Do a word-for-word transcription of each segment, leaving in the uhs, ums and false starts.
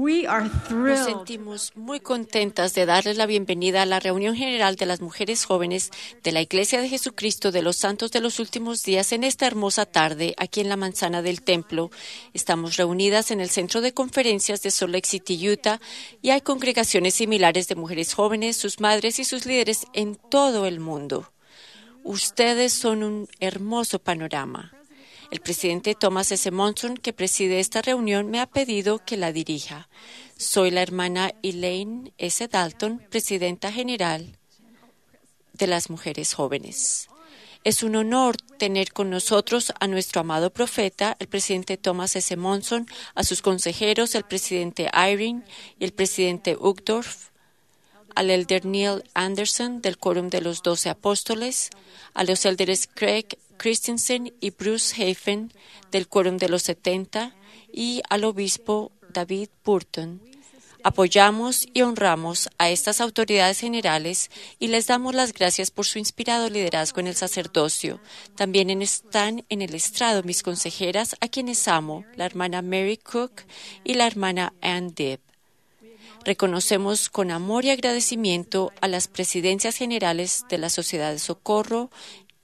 We are thrilled. Nos sentimos muy contentas de darles la bienvenida a la reunión general de las mujeres jóvenes de la Iglesia de Jesucristo de los Santos de los Últimos Días en esta hermosa tarde aquí en la manzana del templo. Estamos reunidas en el centro de conferencias de Salt Lake City, Utah, y hay congregaciones similares de mujeres jóvenes, sus madres y sus líderes en todo el mundo. Ustedes son un hermoso panorama. El presidente Thomas S. Monson, que preside esta reunión, me ha pedido que la dirija. Soy la hermana Elaine S. Dalton, presidenta general de las mujeres jóvenes. Es un honor tener con nosotros a nuestro amado profeta, el presidente Thomas S. Monson, a sus consejeros, el presidente Eyring y el presidente Uchtdorf, al elder Neil Andersen del Quórum de los Doce Apóstoles, a los elders Craig Christensen y Bruce Hafen del Quórum de los Setenta y al obispo David Burton. Apoyamos y honramos a estas autoridades generales y les damos las gracias por su inspirado liderazgo en el sacerdocio. También en- están en el estrado mis consejeras, a quienes amo, la hermana Mary Cook y la hermana Ann Dibb. Reconocemos con amor y agradecimiento a las presidencias generales de la Sociedad de Socorro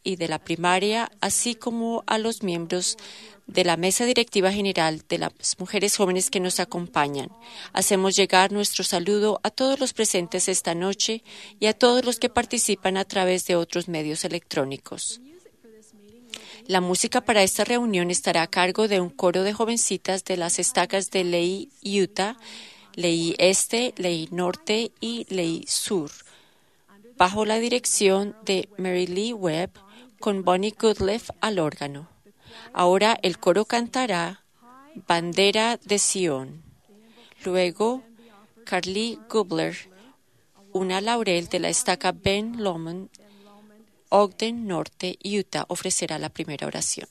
y de la Primaria, así como a los miembros de la Mesa Directiva General de las Mujeres Jóvenes que nos acompañan. Hacemos llegar nuestro saludo a todos los presentes esta noche y a todos los que participan a través de otros medios electrónicos. La música para esta reunión estará a cargo de un coro de jovencitas de las estacas de Lehi, Utah, Lehi Este, Lehi Norte y Lehi Sur, bajo la dirección de Mary Lee Webb, con Bonnie Goodliffe al órgano. Ahora el coro cantará Bandera de Sion. Luego, Carly Gubler, una laurel de la estaca Ben Lomond, Ogden Norte, Utah, ofrecerá la primera oración.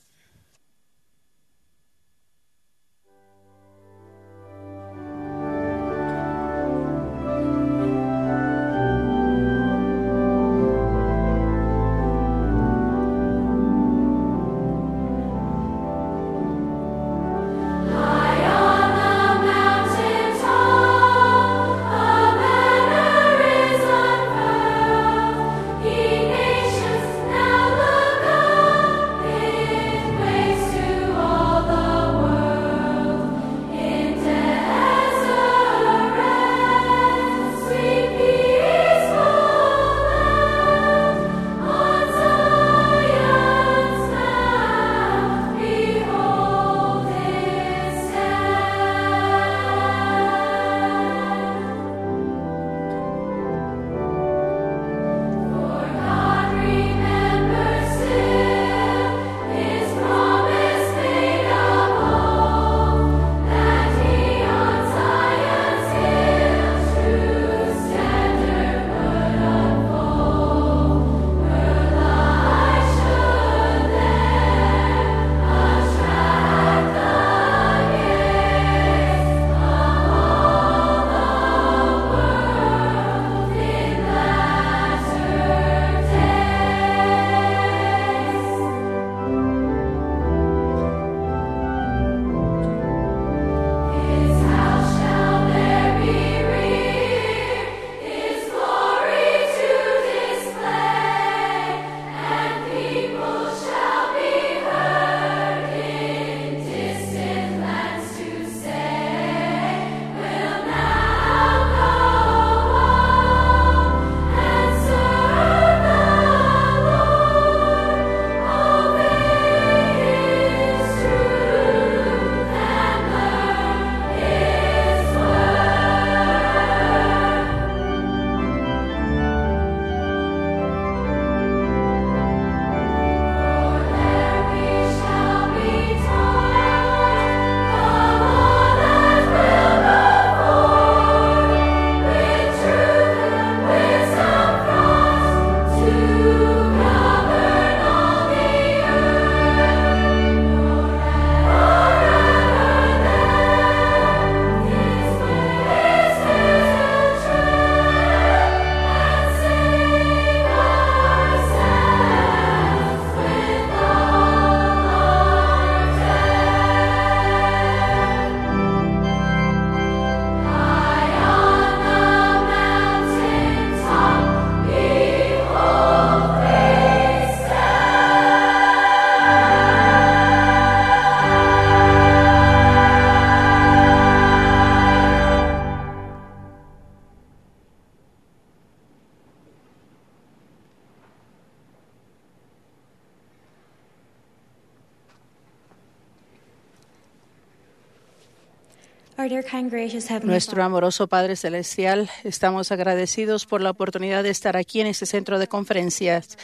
Our dear, kind, gracious Heavenly Nuestro Father, amoroso Padre Celestial, estamos agradecidos por la oportunidad de estar aquí en este centro de conferencias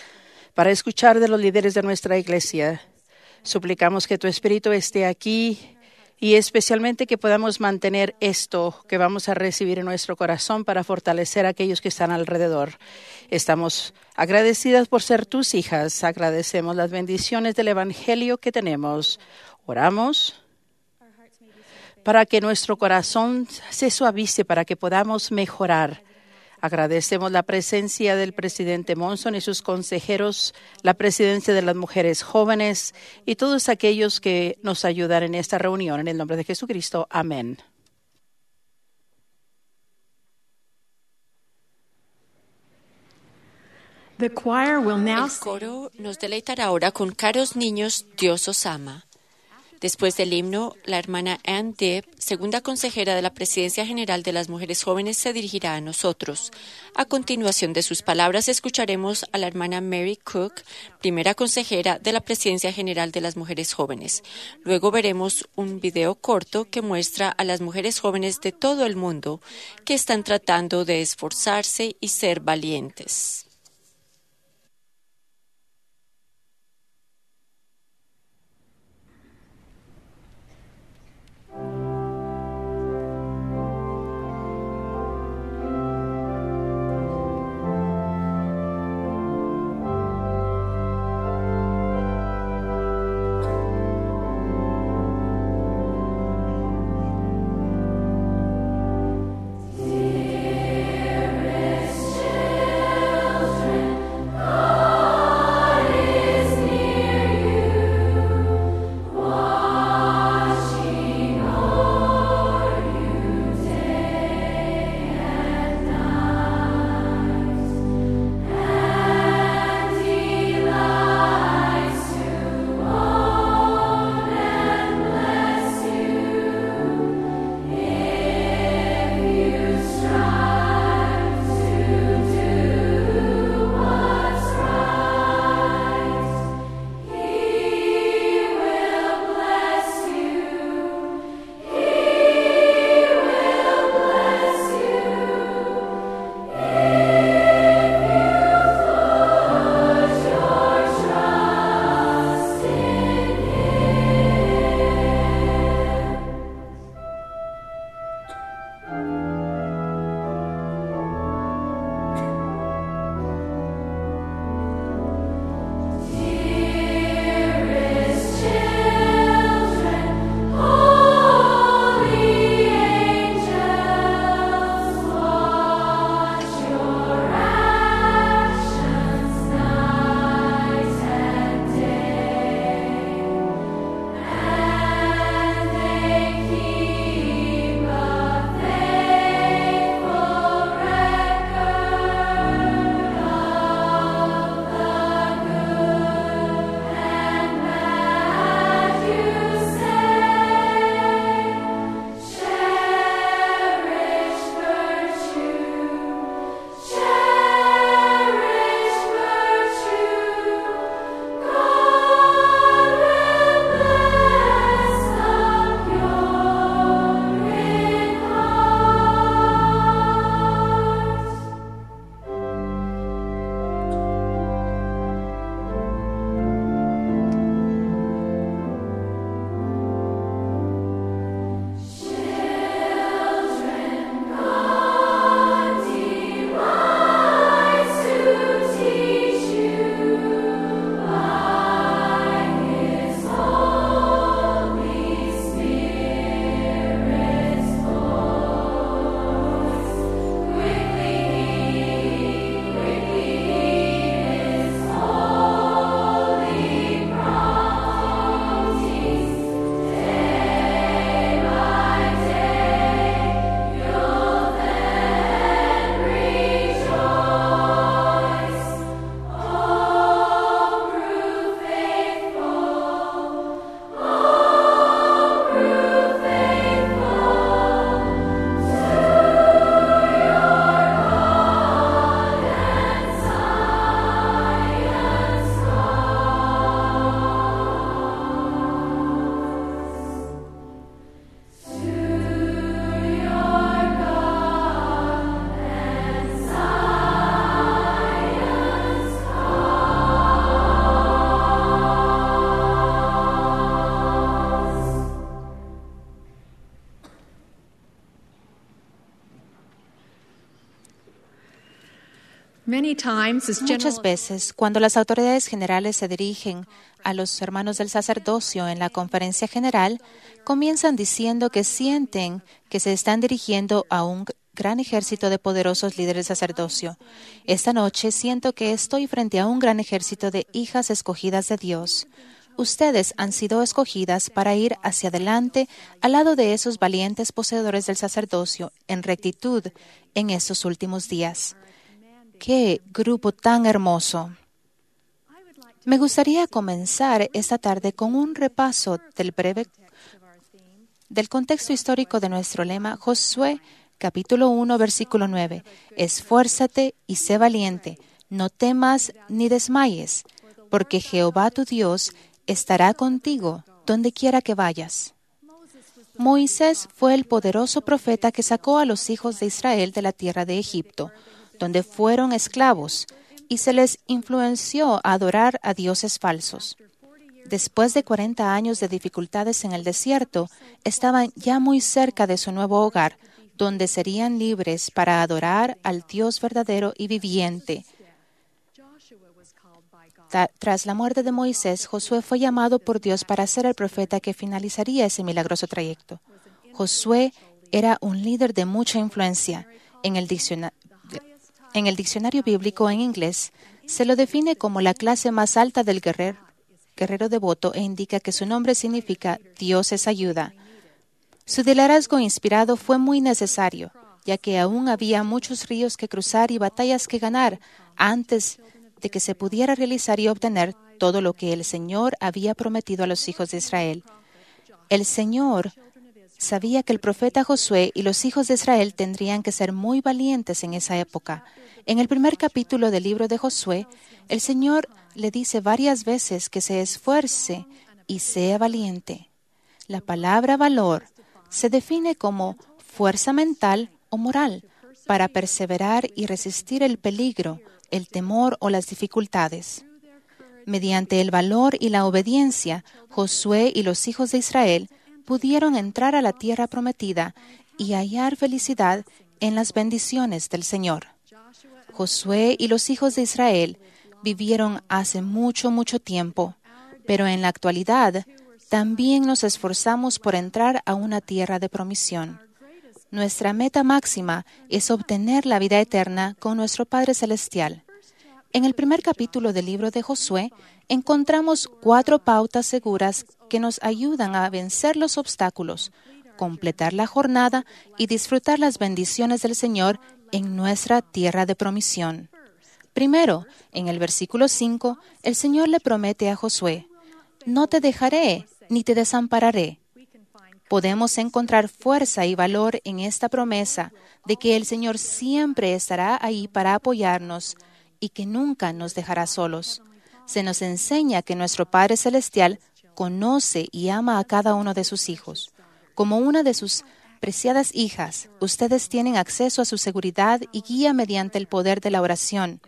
para escuchar de los líderes de nuestra iglesia. Suplicamos que tu Espíritu esté aquí y especialmente que podamos mantener esto que vamos a recibir en nuestro corazón para fortalecer a aquellos que están alrededor. Estamos agradecidas por ser tus hijas. Agradecemos las bendiciones del Evangelio que tenemos. Oramos para que nuestro corazón se suavice, para que podamos mejorar. Agradecemos la presencia del presidente Monson y sus consejeros, la presencia de las mujeres jóvenes y todos aquellos que nos ayudan en esta reunión. En el nombre de Jesucristo, amén. The choir will now El sing coro nos deleitará ahora con Caros niños, Dios os ama. Después del himno, la hermana Ann Dibb, segunda consejera de la Presidencia General de las Mujeres Jóvenes, se dirigirá a nosotros. A continuación de sus palabras, escucharemos a la hermana Mary Cook, primera consejera de la Presidencia General de las Mujeres Jóvenes. Luego veremos un video corto que muestra a las mujeres jóvenes de todo el mundo que están tratando de esforzarse y ser valientes. Many times, as Muchas general veces, cuando las autoridades generales se dirigen a los hermanos del sacerdocio en la conferencia general, comienzan diciendo que sienten que se están dirigiendo a un gran ejército de poderosos líderes del sacerdocio. Esta noche siento que estoy frente a un gran ejército de hijas escogidas de Dios. Ustedes han sido escogidas para ir hacia adelante al lado de esos valientes poseedores del sacerdocio en rectitud en estos últimos días. ¡Qué grupo tan hermoso! Me gustaría comenzar esta tarde con un repaso del breve, del contexto histórico de nuestro lema, Josué, capítulo uno, versículo nueve: "Esfuérzate y sé valiente, no temas ni desmayes, porque Jehová tu Dios estará contigo donde quiera que vayas". Moisés fue el poderoso profeta que sacó a los hijos de Israel de la tierra de Egipto, donde fueron esclavos, y se les influenció a adorar a dioses falsos. Después de cuarenta años de dificultades en el desierto, estaban ya muy cerca de su nuevo hogar, donde serían libres para adorar al Dios verdadero y viviente. Ta-, tras la muerte de Moisés, Josué fue llamado por Dios para ser el profeta que finalizaría ese milagroso trayecto. Josué era un líder de mucha influencia. En el dicciona-, en el diccionario bíblico en inglés, se lo define como la clase más alta del guerrer-, guerrero devoto e indica que su nombre significa "Dios es ayuda". Su liderazgo inspirado fue muy necesario, ya que aún había muchos ríos que cruzar y batallas que ganar antes de que se pudiera realizar y obtener todo lo que el Señor había prometido a los hijos de Israel. El Señor sabía que el profeta Josué y los hijos de Israel tendrían que ser muy valientes en esa época. En el primer capítulo del libro de Josué, el Señor le dice varias veces que se esfuerce y sea valiente. La palabra valor se define como fuerza mental o moral para perseverar y resistir el peligro, el temor o las dificultades. Mediante el valor y la obediencia, Josué y los hijos de Israel pudieron entrar a la tierra prometida y hallar felicidad en las bendiciones del Señor. Josué y los hijos de Israel vivieron hace mucho, mucho tiempo, pero en la actualidad también nos esforzamos por entrar a una tierra de promisión. Nuestra meta máxima es obtener la vida eterna con nuestro Padre Celestial. En el primer capítulo del libro de Josué encontramos cuatro pautas seguras que nos ayudan a vencer los obstáculos, completar la jornada y disfrutar las bendiciones del Señor en nuestra tierra de promisión. Primero, en el versículo cinco, el Señor le promete a Josué: "No te dejaré ni te desampararé". Podemos encontrar fuerza y valor en esta promesa de que el Señor siempre estará ahí para apoyarnos y que nunca nos dejará solos. Se nos enseña que nuestro Padre Celestial conoce y ama a cada uno de sus hijos. Como una de sus preciadas hijas, ustedes tienen acceso a su seguridad y guía mediante el poder de la oración.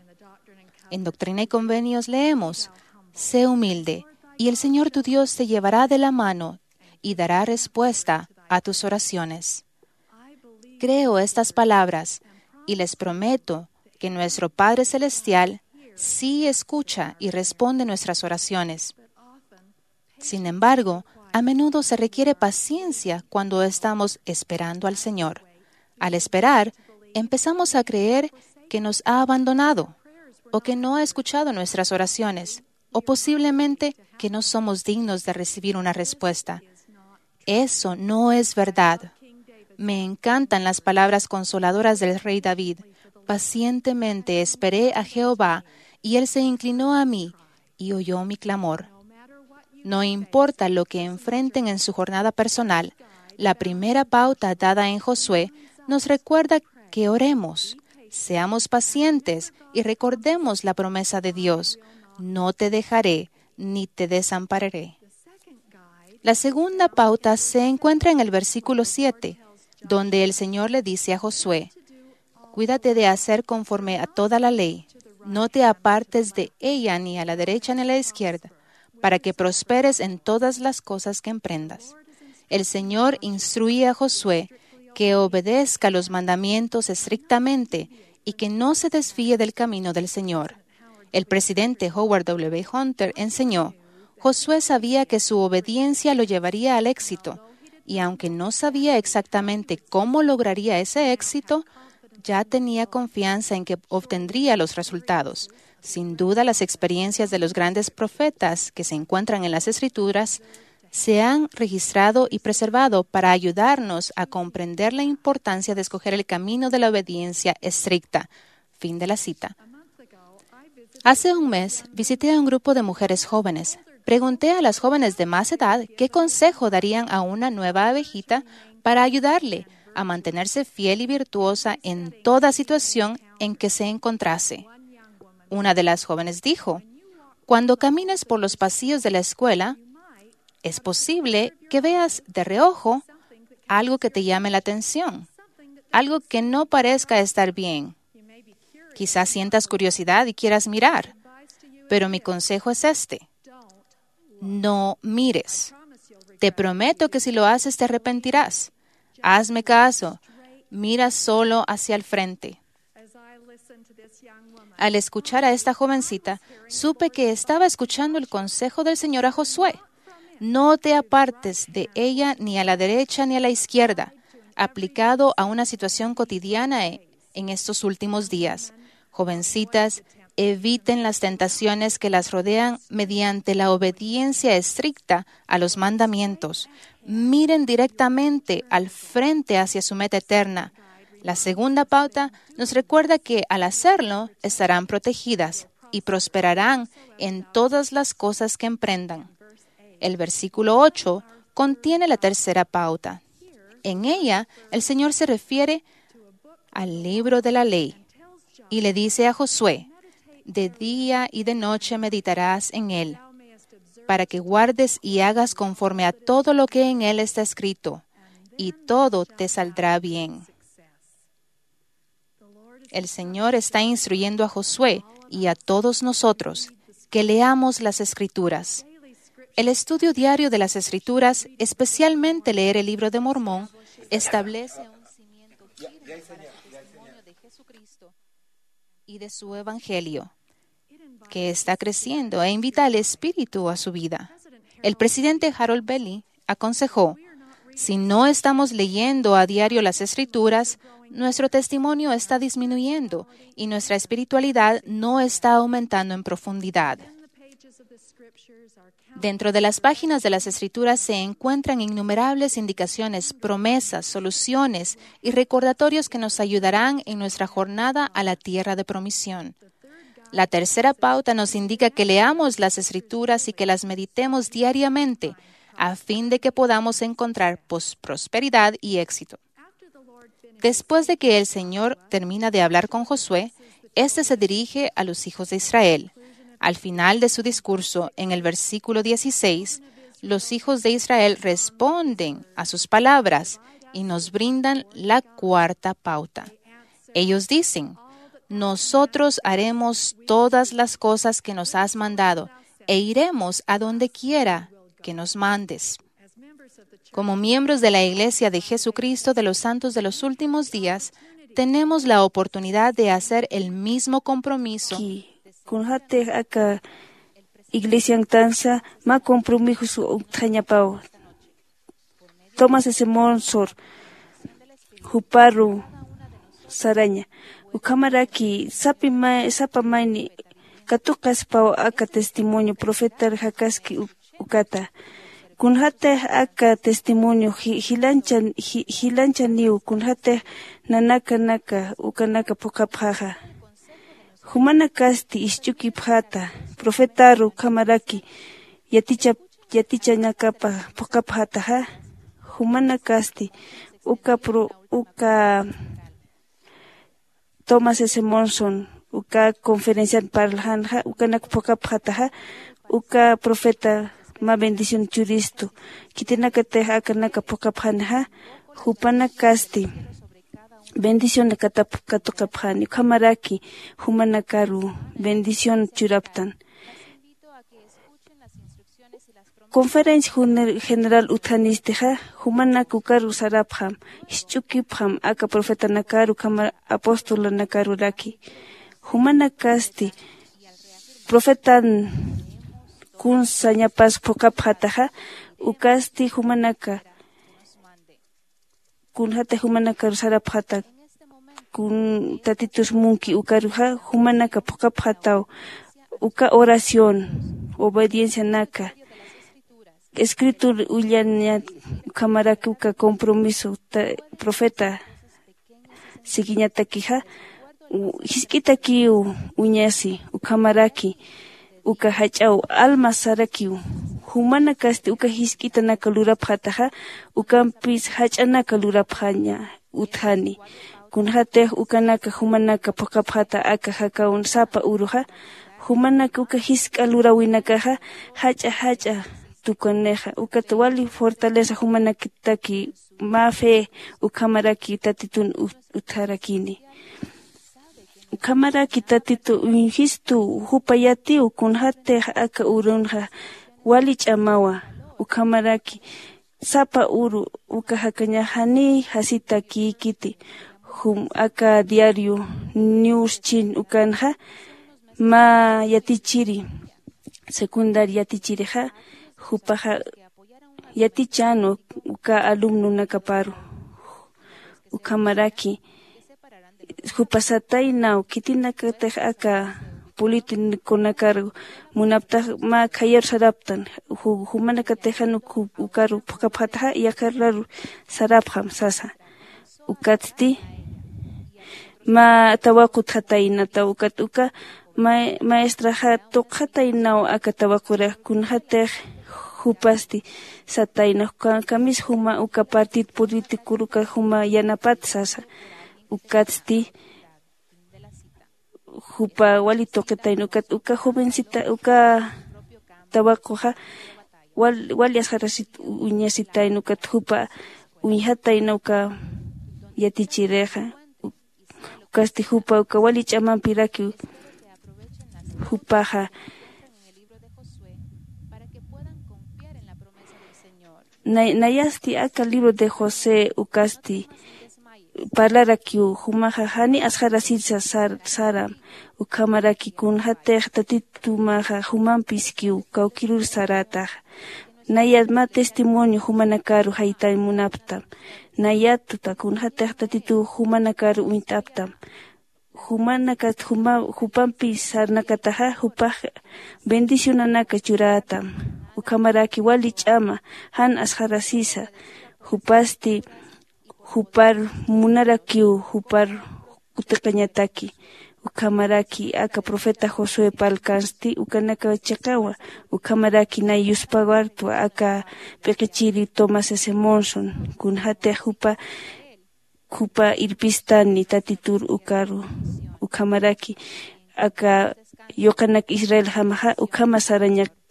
En Doctrina y Convenios leemos: "Sé humilde, y el Señor tu Dios te llevará de la mano y dará respuesta a tus oraciones". Creo estas palabras y les prometo que nuestro Padre Celestial sí escucha y responde nuestras oraciones. Sin embargo, a menudo se requiere paciencia cuando estamos esperando al Señor. Al esperar, empezamos a creer que nos ha abandonado o que no ha escuchado nuestras oraciones, o posiblemente que no somos dignos de recibir una respuesta. Eso no es verdad. Me encantan las palabras consoladoras del rey David: "Pacientemente esperé a Jehová, y él se inclinó a mí y oyó mi clamor". No importa lo que enfrenten en su jornada personal, la primera pauta dada en Josué nos recuerda que oremos, seamos pacientes y recordemos la promesa de Dios: "No te dejaré ni te desampararé". La segunda pauta se encuentra en el versículo siete, donde el Señor le dice a Josué: "Cuídate de hacer conforme a toda la ley, no te apartes de ella ni a la derecha ni a la izquierda, para que prosperes en todas las cosas que emprendas". El Señor instruye a Josué que obedezca los mandamientos estrictamente y que no se desvíe del camino del Señor. El presidente Howard W. Hunter enseñó: Josué sabía que su obediencia lo llevaría al éxito, y aunque no sabía exactamente cómo lograría ese éxito, ya tenía confianza en que obtendría los resultados. Sin duda, las experiencias de los grandes profetas que se encuentran en las Escrituras se han registrado y preservado para ayudarnos a comprender la importancia de escoger el camino de la obediencia estricta. Fin de la cita. Hace un mes visité a un grupo de mujeres jóvenes. Pregunté a las jóvenes de más edad qué consejo darían a una nueva abejita para ayudarle a mantenerse fiel y virtuosa en toda situación en que se encontrase. Una de las jóvenes dijo: "Cuando camines por los pasillos de la escuela, es posible que veas de reojo algo que te llame la atención, algo que no parezca estar bien. Quizás sientas curiosidad y quieras mirar, pero mi consejo es este: no mires. Te prometo que si lo haces te arrepentirás. Hazme caso, mira solo hacia el frente". Al escuchar a esta jovencita, supe que estaba escuchando el consejo del Señor a Josué: "No te apartes de ella ni a la derecha ni a la izquierda", aplicado a una situación cotidiana e- en estos últimos días. Jovencitas, eviten las tentaciones que las rodean mediante la obediencia estricta a los mandamientos. Miren directamente al frente hacia su meta eterna. La segunda pauta nos recuerda que al hacerlo estarán protegidas y prosperarán en todas las cosas que emprendan. El versículo ocho contiene la tercera pauta. En ella, el Señor se refiere al libro de la ley y le dice a Josué: "De día y de noche meditarás en él, para que guardes y hagas conforme a todo lo que en él está escrito, y todo te saldrá bien". El Señor está instruyendo a Josué y a todos nosotros que leamos las Escrituras. El estudio diario de las Escrituras, especialmente leer el Libro de Mormón, establece un cimiento firme para el testimonio de Jesucristo y de su Evangelio, que está creciendo e invita al Espíritu a su vida. El presidente Harold Belli aconsejó: "Si no estamos leyendo a diario las Escrituras, nuestro testimonio está disminuyendo y nuestra espiritualidad no está aumentando en profundidad". Dentro de las páginas de las Escrituras se encuentran innumerables indicaciones, promesas, soluciones y recordatorios que nos ayudarán en nuestra jornada a la tierra de promisión. La tercera pauta nos indica que leamos las Escrituras y que las meditemos diariamente, a fin de que podamos encontrar pos- prosperidad y éxito. Después de que el Señor termina de hablar con Josué, éste se dirige a los hijos de Israel. Al final de su discurso, en el versículo dieciséis, los hijos de Israel responden a sus palabras y nos brindan la cuarta pauta. Ellos dicen: "Nosotros haremos todas las cosas que nos has mandado e iremos a donde quiera que nos mandes". Como miembros de la Iglesia de Jesucristo de los Santos de los Últimos Días, tenemos la oportunidad de hacer el mismo compromiso. Ki, kunjatix aka iglesiantansa mä compromiso uñt'añapaw. Thomas S. Monson juparu saraña. Ukhamaraki sapi may, sapa mayni katuqaspaw aka testimonio profetar jakaski u- ukata. Kunjatix aka testimonio ji- jilancha ji- jilanchaniw, kunjatix nanakanaka ukanaka phuqhapxaxa. Jumanakasti isch'ukipxäta, profetaru ukhamaraki yaticha- yatichañakapa phuqhapxätaxa. Jumanakasti uka pro- uka Thomas S. Monson uka conferencian parlxänxa, ukanak phuqhapxätaxa. Uka profeta mä bendición churistu, khitinakatix akanaka phuqhapxänixa. Jupanakasti bendición katap- katuqapxäni, ukhamaraki jumanakaru bendición churaptan. Conferencia general utjanistixa jumanak ukaru sarapxam, jisch'ukipxam aka profetanakaru ukhama apostolanakaruraki. Jumanakasti profetan kun sañapas phuqhapxataxa, ukasti jumanaka kunjata jumanakaru sarapxata kun tatitus munki ukaruxa jumanaka phuqhapxataw. Uka oración, obediencianaka, escritur ullaña, ukhamaraki uka compromiso profeta sikiñatakixa jisk'itakiw uñasi. Ukhamaraki uka jach'aw alma sarakiw. Jumanakasti uka jisk'itanaka lurapxataxa ukampis jach'anaka lurapxaña utjani. Kunxatix ukanaka jumanaka phuqhapxata aka jakawn sapa uruxa jumanaka uka jisk'a lurawinakaxa jach'a jach'a tukunixa ukat wali fortaleza jumanakitaki mä fe ukhamaraki tatitun utjarakini. Ukhamaraki tatitu uñjistu jupa yatiw kunxatix aka urunxa wali ch'amawa. Ukhamaraki sapa uru uka jakañax janiy jasitakïkiti. Jum aka diario niwschin ukanxa mä yatichiri secundaria yatichirixa jupaxa yatichänu uka alumnunakaparu. Ukhamaraki jupa sataynaw khitinakatix aka politikunakar munaptax mä khayar saraptan. Jumanakatix jan ukaru phuqhapxataxa yaqharuraru sarapxam sasa. Ukatsti mä tawaqu utjataynataw ukat uka maestraxa tuqxataynaw aka tawaqurix kunxatix jupasti satayna kamis juma uka partido politikur uka juma yanapat sasa. Ukatsti jupa wali tuqitayna ukat uka jovencita uka tawaquxa wali asxarasit uñasitayna ukat jupa uñjatayna uka yatichirixa. Ukasti jupa uka wali ch'amampirakiw jupaxa nayasti aka libro de josé ukasti parlarakiw jumaxa jani asxarasisa saram. Ukhamaraki kunxatix tatitumaxa jumampiskiw kawkirur sarätaxa. Nayat mä testimonio jumanakaru jaytañ munaptam. Nayatuta kunxatix tatituw jumanakaru uñt'aptam. Jumanakat jupampi sarnakataxa jupax bendicionanaka churätam. Ukhamaraki wali ch'ama jan asxarasisa jupasti jupar munarakiw jupar kutiqañataki. Ukhamaraki aka profeta josué palkansti ukanaka chiqawa. Ukhamaraki nay yuspawartwa aka p'iqichiri tomás s monson kunxatix jupa jupa irpistani tatitur ukaru. Ukhamaraki aka yuqanak israeljamaxa ukhama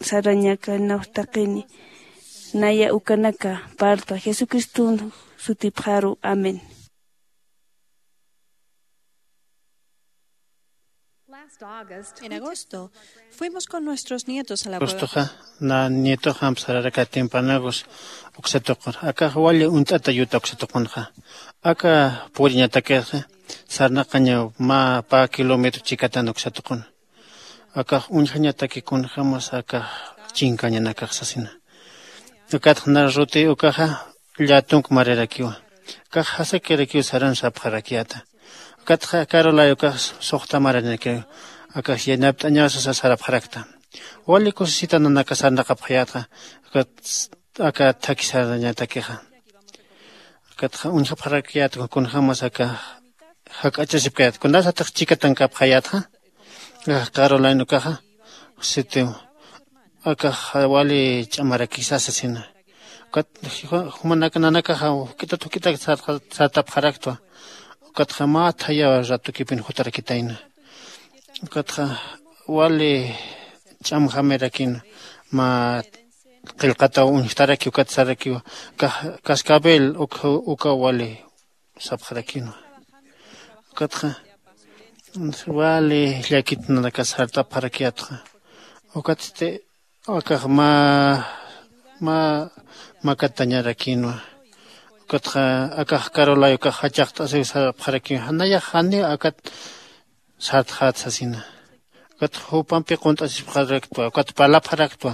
sarañakanawx taqini. Naya ukanaka parltwa jesucristun sutipxaru. Amén. En agosto fuimos con nuestros nietos a la cueva. Agostoxa na nietoxamp sararaka tempranagus uksatuqur akax wali uñt'ata yuta uksatuqunxa. Aka puriñatakixa sarnaqañaw mä pä kilómetro chikatan uksatuqun. Akax uñjañataki kunjämas akax chinkañanakax sasina. Ukatxa na ruti ukaxa llatunk marirakiwa. Akax jasakirakiw saran sapxarakiyäta. Ukatxa karulay ukax suxta maranakiw. Akax yanapt'añaw sasa sarapxarakta. Wali kusisita nanaka sarnaqapxayätxa. Aka thakhi sarañatakixa. Ukatxa uñjapxarakiyätxa kunjämas aka jak'achasipkayätxa kunasatix chikatankapxayätxa. Karulayn ukaxa sitiw akax wali ch'amarakisa sasina. Ukat jumanaka nanakaxa juk'itat juk'itak sartapxaraktwa. Ukatxa mä thaya ratukipin jutarakitayna. Ukatxa wali ch'amjamirakina mä qillqataw uñjtaraki ukat sarakiwa. Cascabel uka wali sapxarakinwa. Ukatxa wali llakit nanakas sartapxarakiyätxa. Ukatsti akax mä mä makatañarakinwa. Ukatxa akax karulay ukax jachaqt'asiw sarapxarakiw janayax janiw akat sartxät sasina. Ukat jupampi qunt'asipxaraktwa ukat parlapxaraktwa.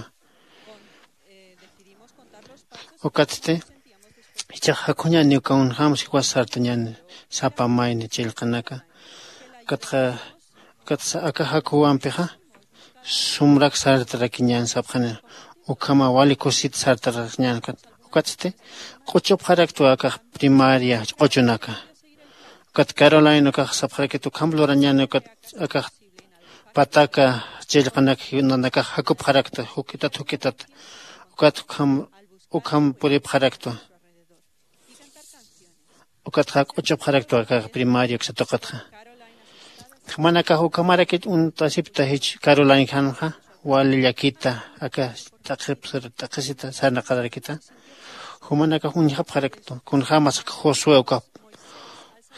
Ukatsti jichhax jakhuñäni uka unjämsi jiwas sartañäni sapa mayni chillqanaka. Ukatxa ukatsa aka jakhuwampixa sumrak sartarakiñän sapxani. Ukhama wali kusit sartarakiñän ukat ukatsti q'uchupxaraktwa akax primaria q'uchunaka. Ukat carolina ukax sapxarakit ukham lurañäni ukat akax pataka chillqanak nanakax jakupxarakta juk'itat juk'itat. Ukat ukham ukham puripxaraktwa. Ukatxa q'uchupxaraktwa aka primario uksa tuqutxa. Jumanakax ukhamarakit uñt'asipta jich carolina janxa wali llakita aka t'aqhipsir t'aqhisita sarnaqararakita. Jumanakax uñjapxarakta kunjämas aka josué ukax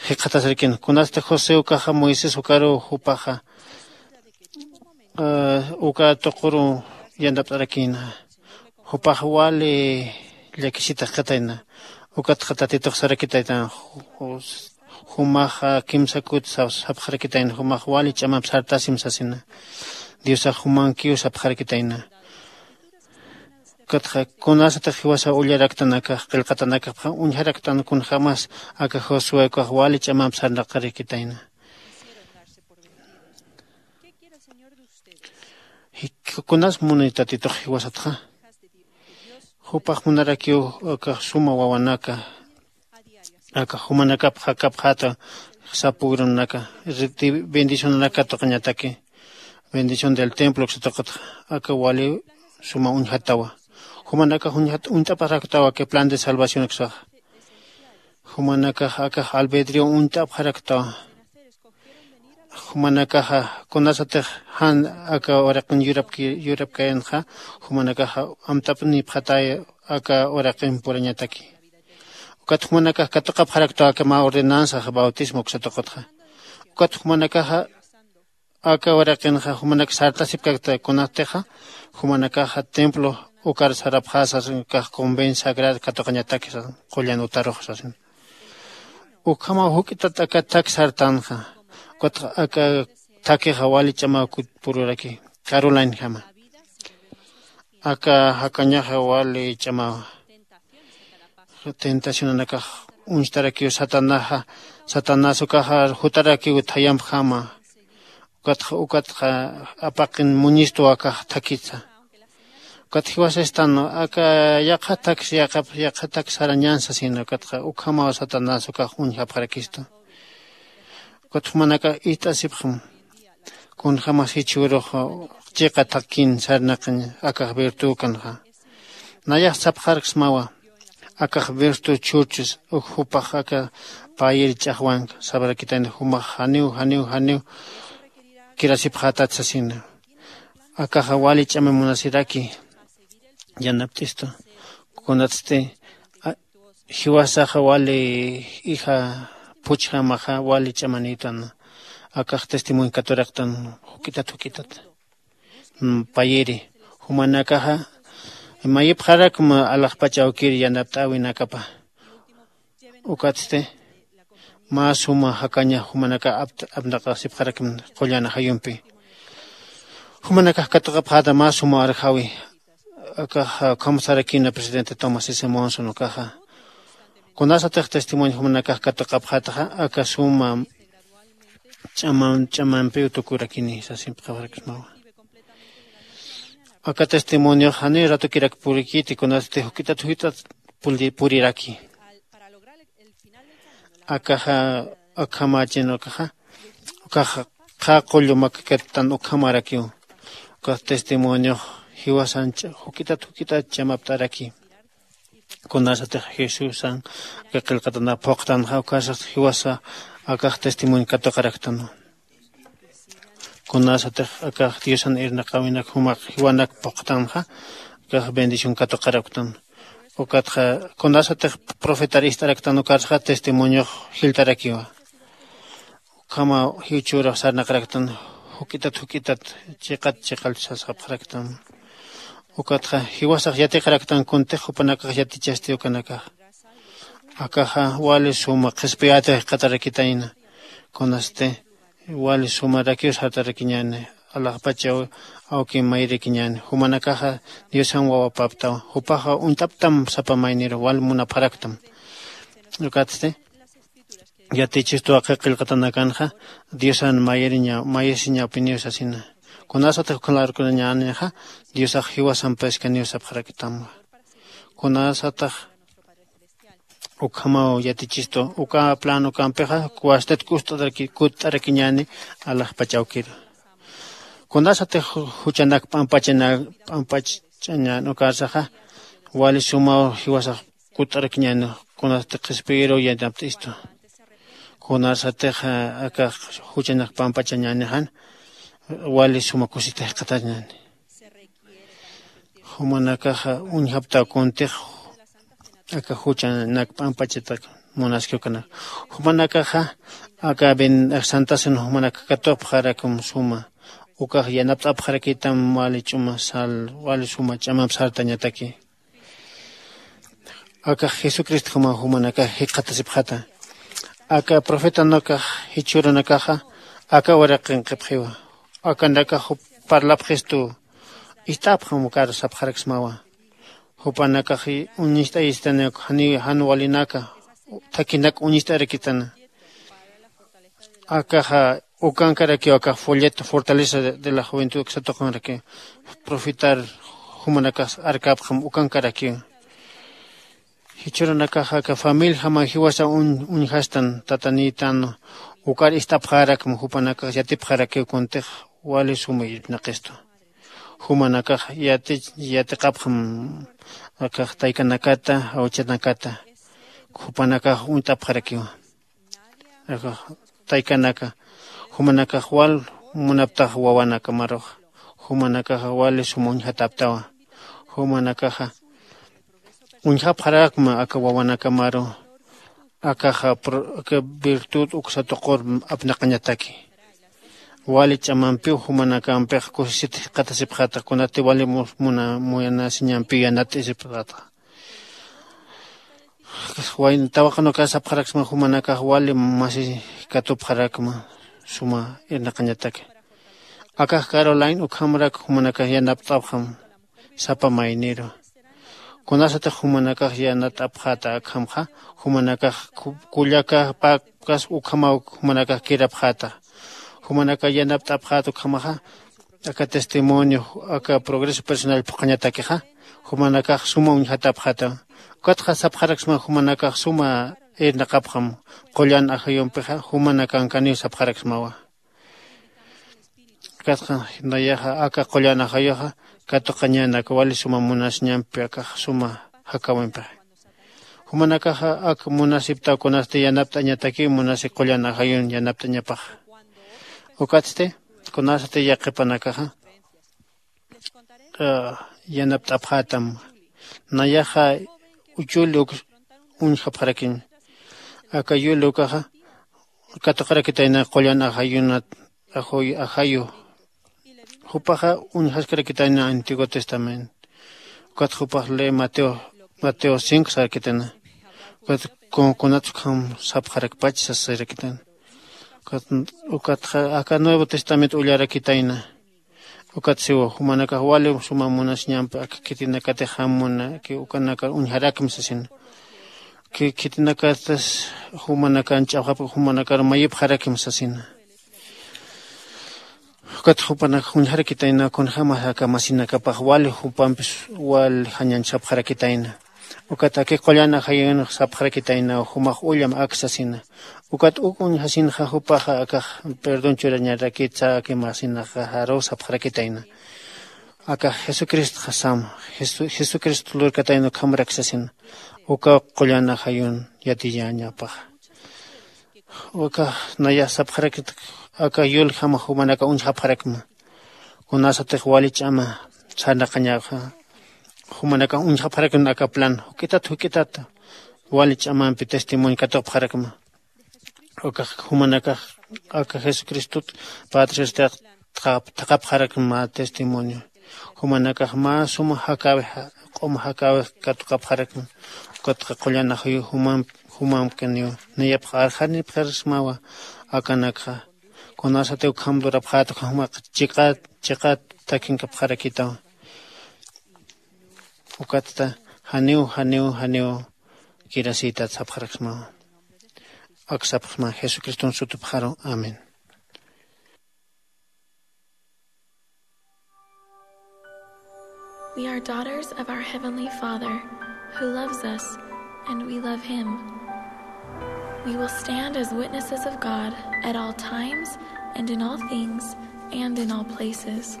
jikxatasarkin kunasti josé ukaxa moisés ukaruw jupaxa uka tuquru yanapt'arakïna. Jupax wali llakisita jikxatayna. Ukatxa tatitux sarakitaytan jumaxa kimsa kut sapxarakitayna jumax wali ch'amamp sartasim sasina. Diosax jumankiw sapxarakitayna. Ukatxa kunasatix jiwasaw ullaraktan akax qillqatanakapxa uñjaraktan kunjämas aka josué ukax wali ch'amamp sarnaqarakitayna. Kunas muni tatitux jiwasatxa jupax munarakiw akax suma wawanaka akax jumanakapxa kapxäta sapugranaka bendicionanaka tuqañataki bendición del templo uksa tuqutxa aka wali suma uñjatawa. Jumanakax uñjat uñt'apxaraktawa aka plan de salvación uksaxa. Jumanakax akax albedrio uñt'apxaraktawa. Jumanakaxa kunasatix jan aka uraqin yurapkayanxa jumanakaxa amt'apnipxatay aka uraqin purañataki. Ukat jumanakax katuqapxaraktaw aka mä ordenanzaxa bautismo uksa tuqutxa. Ukat jumanakaxa aka uraqinxa jumanak sartasipkakta kunatixa jumanakaxa templo ukar sarapxäsas ukax conven sagrada katuqañatakisa qullan utarux sasin. Ukhamaw juk'itat aka thak sartanxa ukatxa aka thakixa wali ch'amaw kut pururaki. Carolina jama aka jakañaxa wali ch'amawa. Tentacionanakax uñstarakiw satanaxa satanás ukaxa jutarakiw thayampjama. Ukatxa ukatxa apaqin muñistu akax thakitsa. Ukat jiwasastan aka yaqha thaks yaqha thaks sarañan sasina ukatxa ukhamaw satanás ukax uñjapxarakistu. Ukat jumanakax ist'asipxam kunjämas jichhürux chiqa thakin sarnaqañ akax virtükanxa. Nayax sapxarksmawa akax virtü chhurchus uk jupax aka payir ch'axwank sabarakitayna jumax janiw janiw janiw kirasipxätat sasina. Akaxa wali ch'ama munasiraki yanapt'istu kunatsti jiwasaxa wali ija phuchjamaxa wali ch'amanïtan. Akax testimonio katuraktan juk'itat juk'itat payiri jumanakaxa mayipxarakma alaxpach awkir yanapt'äwinakapa. Ukatsti mä suma jakaña jumanakax apnaqasipxarakma qullan ajayumpi. Jumanakax katuqapxäta mä suma arjawi akax ukham sarakïna presidente tomás s monson ukaxa. Kunasatix testimonio jumanakax katuqapxätaxa aka suma ch'amampiw tukurakini sasimpxarakismawa. Aka testimoniox janiw ratukirak purikiti kunasti juk'itat juk'itat puriraki. Akaxa akhamachin ukaxa ukaxa qha qullu makakattan ukhamarakiw. Ukax testimoniox jiwasancha juk'itat juk'itat chamapt'araki. Kunasatix jesusan aka qillqatanap phuqtanxa ukasat jiwasa akax testimonio katuqaraktanwa. Kunasatix akax diosan irnaqäwinak jumaq jiwanak phuqtanxa akax bendición katuqaraktan. Ukatxa kunasatix profetar ist'araktan ukarxa testimoniox jiltarakiwa. Ukhama jiwchürux sarnaqaraktan juk'itat juk'itat chiqat chiqalchasapxaraktan. Ukatxa jiwasax yatiqaraktan kuntix jupanakax yatichasti ukanakax. Akaxa wali suma qhispiyätix jikxatarakitayna. Kunasti wali sumarakiw sartarakiñäni. Alaxpachaw awki mayrakiñäni. Jumanakaxa diosan wawapaptaw. Jupaxa uñt'aptam sapa mayniru wal munapxaraktam. Ukatsti yatichistuwa qillqatanakanxa diosan mayiriña mayisiñapiniw sasina. Kunasatix ukhalarkunañänixa diosax jiwasampiskaniw sapxaraktamwa. Kunasatax ukhamaw yatichistu uka plan ukampixa kuwastat kust'arakiñäni alaxpachawkiru. Kunasatix juchanak p'ampachana p'ampach'añän ukarsaxa wali sumaw jiwasax kut'arakiñäni. Kunasatix qhispiyiruw yanapt'istu kunasatix aka juchanak pampachañänixan wali suma kusita jikxatañäni. Jumanakaxa uñjaptaw kuntix aka juchanak p'ampachatak munaskiw kanaka. Jumanakaxa aka santasin jumanak katupxarakum suma ukax yanapt'apxarakitam wali ch'uma sal wali suma ch'amamp sartañataki. Akax jesucristo juma jumanakax jikxatasipxata. Aka profetanakax jichhürunakaxa aka uraqinqipxiwa. Akanakax parlapxistu ist'apxam ukaru sapxaraksmawa. Jupanakax uñist'ayistani jan walinaka thakinak uñist'arakitana. Akaxa ukankarakiw akax folleto fortaleza de la juventud uksatuqanrakiw profetar jumanakax arkapxam ukankarakiw. Jichhürunakaxa aka familia jama jiwasa uñjastan tatanïtan ukar ist'apxarakma jupanakax yatipxarakiw kuntix wali suma irpnaqistu. Jumanakax yatiqapxam akax taykanakata awchanakata jupanakax uñt'apxarakiwa. Taykanaka jumanakax wal munaptax wawanakamarux jumanakaxa wali suma uñjataptawa. Jumanakaxa uñjapxarakma aka wawanakamaru akaxa aka virtud uksa tuqur apnaqañataki. Wali ch'amampiw jumanakampix kusisit jikxatasipxata kunati wali munasiñampiw yanat'isipxata. Wayna tawaqanukar sapxaraksma jumanakax wali masi katupxarakma suma irnaqañataki. Akax caroline ukhamrak jumanakax yanapt'apxam sapa mayniru. Kunasatix jumanakax yanat'apxata akhamxa jumanakax kullakapakas ukhamaw jumanakax kirapxata. Jumanakax yanapt'apxata ukhamaxa aka testimonio aka progreso personal phuqhañatakixa jumanakax suma uñjatapxata. Ukatxa sapxaraksma jumanakax suma irnaqapxam qullan ajayumpixa jumanakankaniw sapxaraksmawa. Ukatxa nayaxa aka qullan ajayuxa katuqañänak wali suma munasiñampi akax suma jakawimpixa. Jumanakaxa ak munasiptaw kunasti yanapt'añatakiw munasi qullan ajayun yanapt'añapaxa. Ukatsti kunasati yaqhipanakaxa yanapt'apxätam. Nayaxa yul uk uñjapxarakiñ. Aka yul ukaxa katuqarakitayna qullan ajayunat ajayu. Jupaxa uñjaskarakitayna antiguo testamento. Ukat jupax le mateo mateo cinco sarakitayna. Ukat kunats ukham sapxarakpach sasarakitayna. Ukatxa aka nuevo testamento ullarakitayna. Ukat siwa jumanakax wali suma munasiñampi aka khitinakatix jam munaki ukanakar uñjarakmi sasina. Khitinakatas jumanakan ch'awxapki jumanakar mayipxarakmi sasina. Ukat jupanakax uñjarakitayna kunjämas aka masinakapax wali jupampis wali jañañ sapxarakitayna. Ukat aki qullan ajayunx sapxarakitayna jumax ullam ak sasina. Ukat uk uñjasinxa jupaxa akax perdón churañarakitsa aki masinaxaru sapxarakitayna. Akax jesucristxa sam jesucristo lurkatayna ukhamrak sasina. Uka qullan ajayun yatiyañapaxa. Ukax nayax sapxarakit aka yul jama jumanaka uñjapxarakma. Kunasatix wali ch'ama sarnaqañaxa jumanakax uñjapxarakma aka plan juk'itat juk'itat wali ch'amampi testimonio katuqpxarakma. Ukax jumanakax aka jesucristot patriostax thaqapxarakma testimonio. Jumanakax mä suma jakäwix, q'uma jakäwix katuqapxarakma. Ukatxa qullan ajayu jumamp-, jumampkaniw. Nayapx arxanipxarismawa akanakxa. Kunasatiw ukham lurapxäta, ukhamax chiqat, chiqat takinkapxarakitaw. Ukatsta janiw, janiw, janiw kirasïtat sapxaraksmawa. Ak sapxsma Jesucriston sutipxaru. Amén. We are daughters of our Heavenly Father, who loves us, and we love Him. We will stand as witnesses of God at all times and in all things and in all places.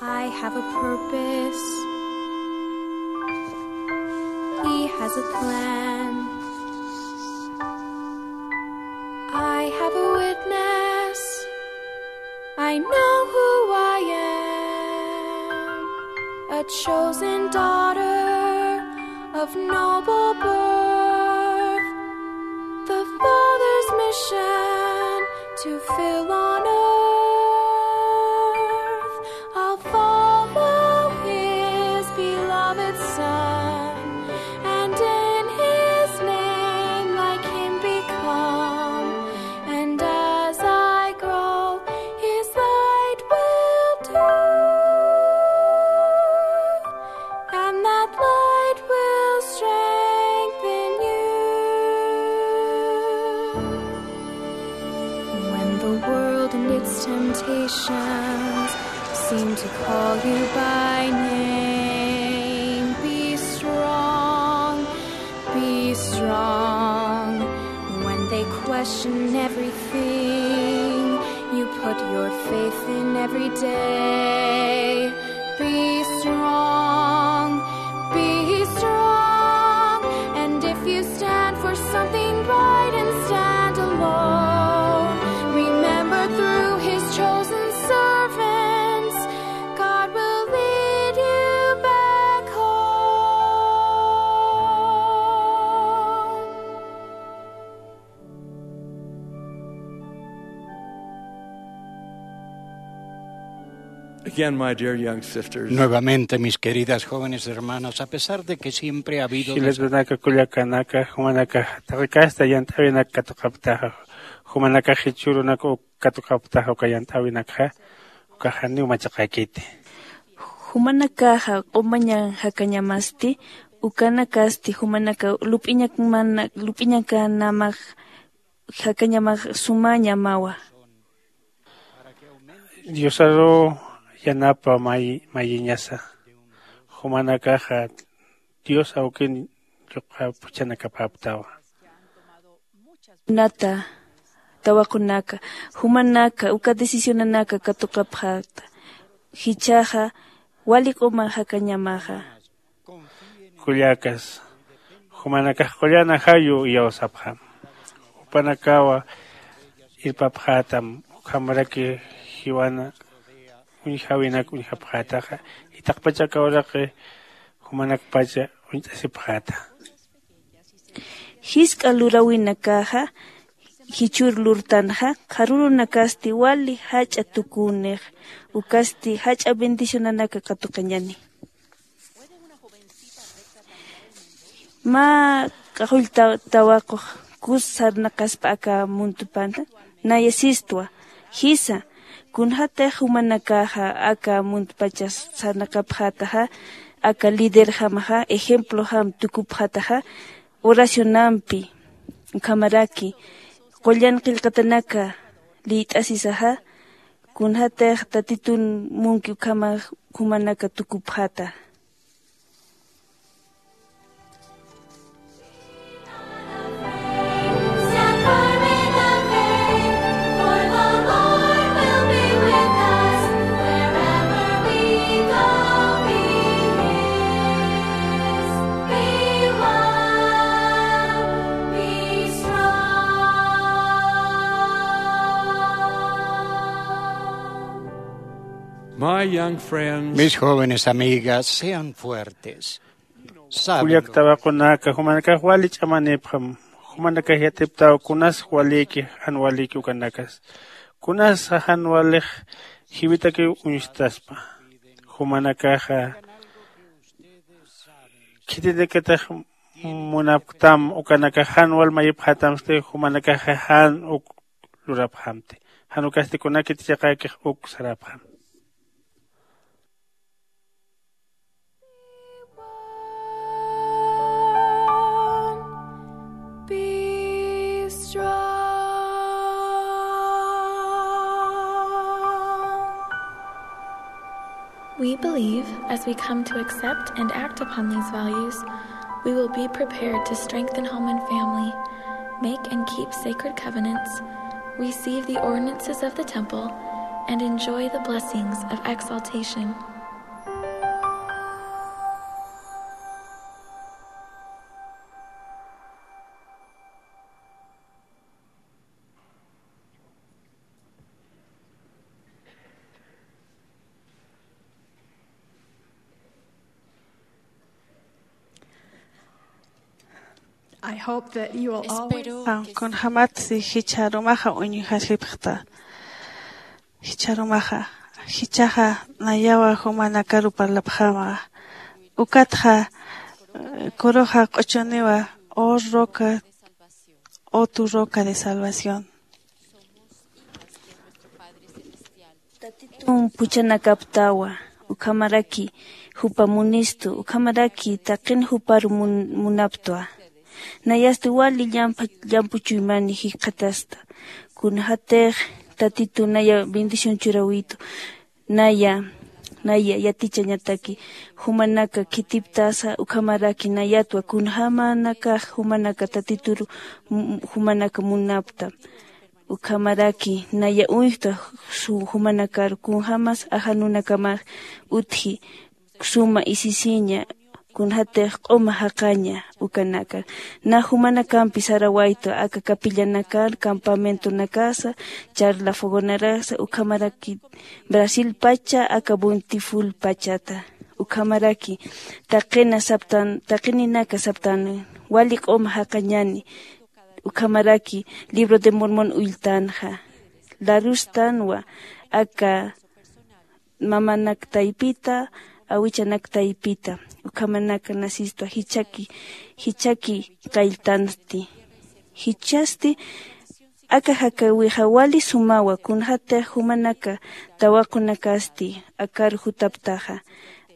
I have a purpose. He has a plan. I have a witness. I know who I am. A chosen daughter of noble birth. The Father's mission to fill on earth. I'll follow His beloved Son, and in His name like Him become. And as I grow, His light will do, and that light will strengthen you. When the world and its temptations seem to call you by name, be strong, be strong. When they question everything you put your faith in every day, be strong, be strong. And if you stand for something bright and stand alone, remember through His chosen servants, God will lead you back home. Again, my dear young sisters. Nuevamente, mis queridas jóvenes hermanas, a pesar de que siempre ha habido des- Jilatanaka, kullakanaka, jumanaka taqi kasta yant'äwinak katuqaptaxa, jumanaka jichhürunak uk katuqaptaxa uka yant'äwinakxa, ukax janiw machaqäkiti. Jumanakaxa qumañan jakañamasti, ukanakasti jumanaka lup'iñakmana-, lup'iñakanamax jakañamax sumañamawa. Diosaru yanapa may-, mayiñasa. Jumanakaxa Dios awkin lluq'apxchanakapäptawa. Nata, tawaqunaka, jumanaka, uka decisionanaka katuqapxäta. Jichhaxa, wali q'uma jakañamaxa. Kullakas, jumanakax qullan ajayu iyawsapxam. Jupanakawa irpapxätam, ukhamaraki jiwana uñjawinak uñjapxätaxa, itaqpacha aka uraqi jumanakpacha uñt'asipxäta. Jisk'a luräwinakaxa, jichhür lurtanxa, qharürunakasti wali jach'a tukünix, ukasti jach'a bendicionanaka katuqañäni. Mä q'axull ta-, tawaqux kus sarnaqaspa aka muntupana, naya sistwa, jisa, kunjatix jumanakaxa aka muntpacha sarnaqapxätaxa, aka liderjamaxa, ejemplojam tukupxätaxa, oracionampi, ukhamaraki, qullan qillqatanaka liyt'asisaxa, kunjatix Tatitun munki ukhamax jumanaka tukupxäta. My young friends, mis jóvenes amigas, sean fuertes. Saben, kullak tawaqunaka, jumanakax wali ch'amanipxam. Jumanakax yatiptaw kunas walïki, jan walïki ukanakas. Kunas jan walix jiwitakiw uñstaspa. Jumanakaxa khitinakatix munapktam ukanakax jan wal mayipxatamsti jumanakaxa jan uk lurapxamti. Jan ukasti kunakit chiqakix uk sarapxam. Be strong. We believe as we come to accept and act upon these values, we will be prepared to strengthen home and family, make and keep sacred covenants, receive the ordinances of the temple, and enjoy the blessings of exaltation. I hope that you will always Espero que kunjamatsi jichharumaxa uñjasipxta. Jichharumaxa, jichhaxa nayawa jumanakaru parlapxama. Ukatxa, eh, kuruxa q'uchuniwa, oh roca, oh tu roca de salvación. Tatitun puchanakaptawa, ukhamaraki jupa munistu, ukhamaraki taqin juparu mun-, munaptwa. Nayasti wali llampa, llampuchuymani jikxatasta. Kunjatix Tatitun naya bendición churawitu. Naya, naya yatichañataki, jumanaka khitiptasa, ukhamaraki nayatwa, kunjamanakax jumanaka Tatituru, m-, jumanaka munapta. Ukhamaraki naya uñjta su jumanakaru, kunjamas ajanunakamas utji, suma isisiña, kunjatix q'uma jaqaña ukanaka. Na jumanakampi sarawaytu aka capillanakar, campamentonakasa, charla fogonarasa, ukhamaraki Brasil pacha, aka Bountiful pachata. Ukhamaraki taqina saptan, taqininaka saptan, wali q'uma jaqañani. Ukhamaraki Libro de Mormon ulltanxa. Larustanwa aka mamanak taypita, awichanak taypita, ukhamanaka nasistwa jichhaki, jichhaki qalltansti. Jichhasti aka jakawixa wali sumawa, kunjatix jumanaka tawaqunakasti akar jutaptaxa,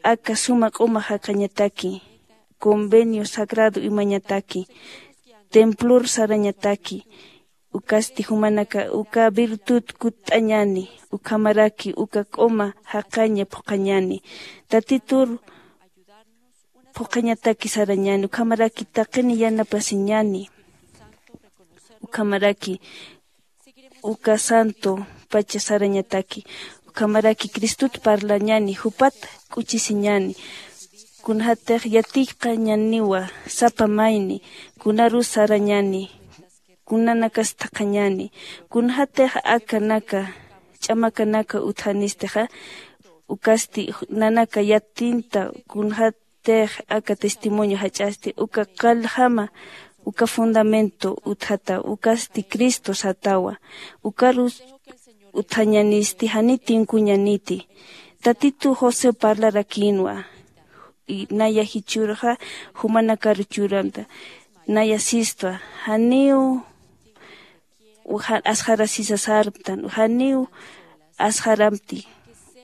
aka suma q'uma jaqañataki, convenio sagrado imañataki, templor sarañataki, ukasti jumanaka uka virtud kutt'añani, ukhamaraki uka q'uma jaqaña phuqhañani. Tatitur phuqhañataki sarañani, ukhamaraki taqini yanapasiñani. Ukhamaraki uka santo pacha sarañataki, ukhamaraki Cristut parlañani, jupat k'uchisiñani. Kunjatix yatiqañaniwa sapa mayni, kunarus sarañani, kunanakas thaqhañani, kunjatix akanaka, ch'amakanaka utjanistixa, ukasti nanaka yatinta, kunjatix aka testimonio jach'asti, uka qaljama, uka fundamento utjata, ukasti Cristo satawa, ukarus utjañanisti, jani tinkuñaniti. Tatitu José parlarakinwa, y naya jichhürxa jumanakaru churamta, naya sistwa, janiw, uja-, asxarasisa sarptan, janiw asxaramti.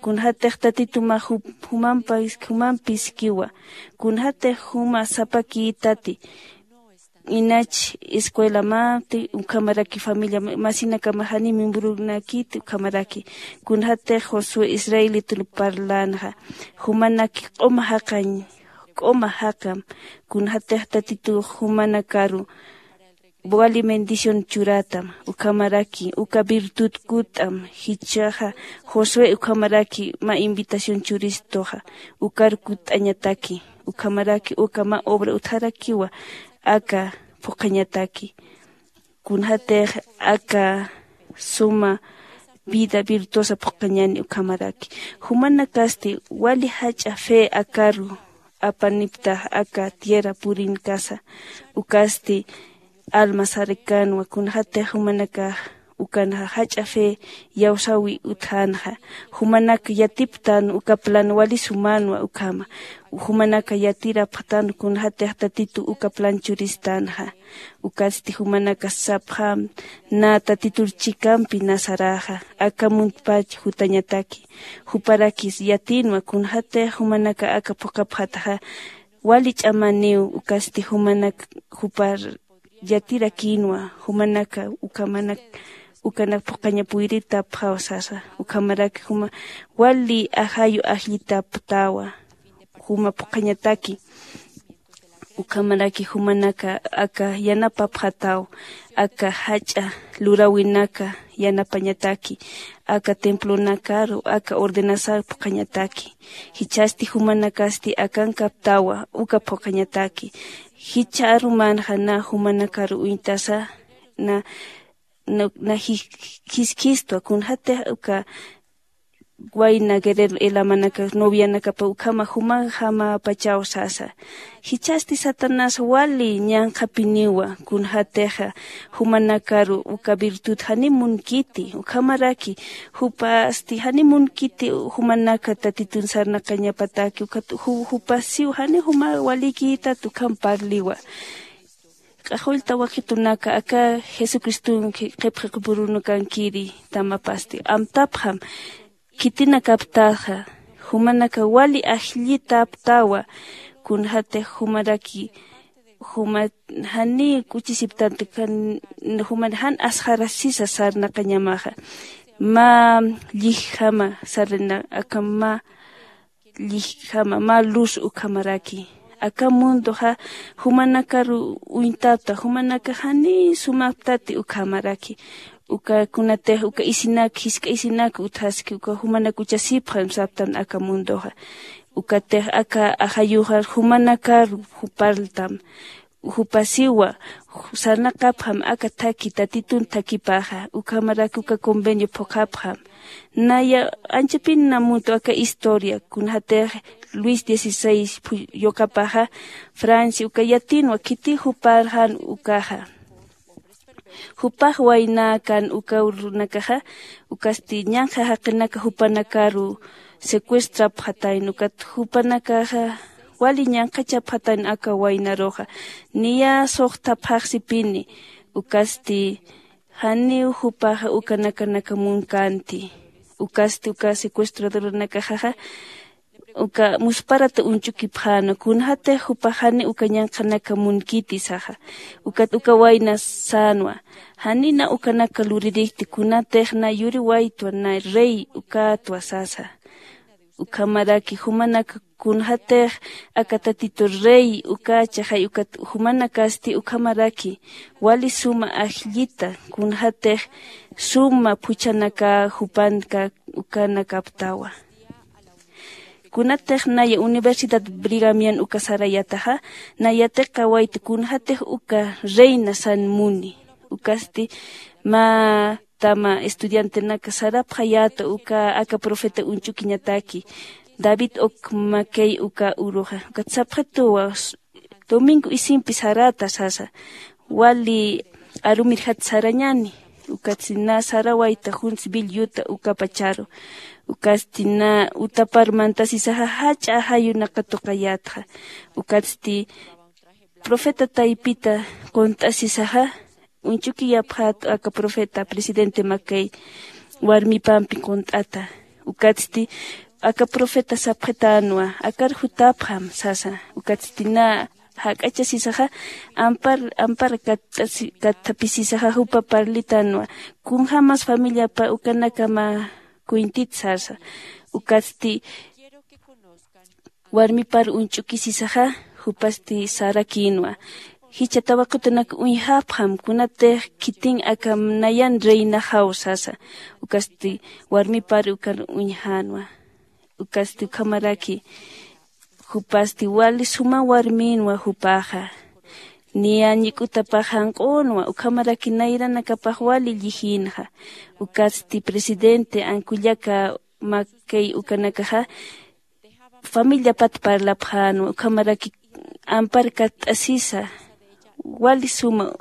Kunjatix Tatituma ju-, jumampis, jumampiskiwa, kunjatix juma sapakïtati, inach escuelamapti, ukhamaraki familia ma-, masinakama jani miembronakiti, ukhamaraki. Kunjatix Josué israelitun parlanxa, jumanaki q'uma jaqañ, q'uma jaqam, kunjatix Tatitux jumanakaru wali bendición churatam, ukhamaraki, uka virtud kutt'am, jichhaxa Josué ukhamaraki mä invitación churistuxa, ukar kutt'añataki, ukhamaraki, uka mä obra utjarakiwa, aka phuqhañataki. Kunjatix aka suma vida virtuosa phuqhañani ukhamaraki. Jumanakasti wali jach'a fe akaru apaniptax aka tierra purinkasa, ukasti alma sarakanwa, kunjatix jumanakax ukanxa jach'a fe iyawsäwi utjänxa. Jumanak yatiptan uka plan wali sumanwa ukhama. Jumanak yatirapxtan kunxatix tatitu uka plan churistanxa. Ukatsti jumanaka sapxam na tatitur chikampi na saräxa aka muntpach jutañataki. Juparakis yatïnwa kunxatix jumanaka aka phuqhapxataxa wali ch'amaniw. Ukatsti jumanak jupar yatirakïnwa jumanaka ukhamanak ukanak phuqhaña puyritapxaw sasa. Ukhamaraki juma wali ajayu ajllitaptawa juma phuqhañataki. Ukhamaraki jumanaka aka yanapapxataw aka jach'a luräwinaka yanapañataki aka templonakaru aka ordenasar phuqhañataki. Jichhasti jumanakasti akankaptawa uka phuqhañataki. Jichha arumanxa na jumanakaru uñtasa na na jiskistwa kunxatix uka wayna guerrero elamanaka novianakapa ukhama jumaxamapachaw sasa. Jichhasti satanás wali ñanqhapiniwa kunxatixa jumanakaru uka virtud janiw munkiti ukhamaraki jupasti janiw munkiti jumanaka tatitun sarnaqañapataki ukat jupasiw janiw juma walikïtat ukham parliwa. Q'axullta wakitunaka aka jesucriston qhipqipurunakankiri tamapasti amtapxam khitinakaptaxa jumanaka wali ajllitaptawa. Kunxatix jumaraki juma janiw k'uchisiptanta jumar jan asxarasisa sarnaqañamaxa mä llijjama sarina aka mä llijjama mä luz ukhamaraki. Aka mundoxa jumanakaru uñtata jumanaka janiw sumaptati ukhamaraki. Uka kunatix uka isinak jisk'a isinak utjaski uka jumanak uchasipxam saptan aka mundoxa. Ukatix aka ajayuxa jumanakaru jupartam jupasiwa sarnaqapxam aka thakhi tatitun thakhipaxa ukhamaraki uka convenio phuqhapxam. Naya anchapin namutu aka historia kunxatix luis dieciséis yuqapaxa francia uka yatinwa khiti juparxan ukaxa. Jupax waynäkan uka runakaxa ukasti ñanqha jaqinaka jupanakaru secuestrapxatayn ukat jupanakaxa wali ñanqhachapxatayn aka waynaruxa. Niya suxtapxaxsipini ukasti janiw jupaxa uka nakanaka munkänti. Ukasti uka secuestradoranakaxaxa uka musparata uñch'ukipxänwa kunxatix jupax janiw uka ñanqhanaka munkiti saxa. Ukat uka wayna sänwa janiw na ukanaka luririkti kunatix na yuriwaytwa na rey ukätwa sasa. Ukhamaraki jumanaka kunxatix aka tatitu rey uka chaxay ukat jumanakasti ukhamaraki wali suma ajllita kunxatix suma phuchhanaka jupanka ukanakaptawa. Kunatix naya universidad brigamian uka sarayataxa na yatiqawayta kunxatix uka reina san muni. Ukasti mä tama estudiantenaka sarapxayäta uka aka profeta uñch'ukiñataki david ok makey uka uruxa ukat sapxituwa. Domingo isimpi sarata sasa wali arumirjat sarañani. Ukatsti na sarawayta juns billuta ukapacharu ukatsti na utapar mantasisaxa jach'a ajayunaka tuqayätxa. Ukatsti profeta taypita qunt'asisaxa uñch'ukiyapxät aka profeta presidente makay warmipampi qunt'ata. Ukatsti aka profeta sapxitänwa akar jutapxam sasa. Ukatsti na jak'achasisaxa ampar ampar katt'asi- katt'apisisaxa jupa parlitänwa kunjämas familiapa ukanakama cuentit sasa. Ukatsti warmipar uñch'ukisisaxa jupasti sarakïnwa. Jichha tawaqitunak uñjapxam kunatix khitin aka nayan reinaxaw sasa. Ukasti warmipar ukar uñjänwa. Ukasti ukhamaraki jupasti wali suma warmïnwa jupaxa. Niya ñik'utapax janq'unwa ukhamaraki nayranakapax wali llijïnxa. Ukatsti presidente ankullaka makay ukanakaxa familiapat parlapxänwa ukhamaraki ampar katt'asisa wali suma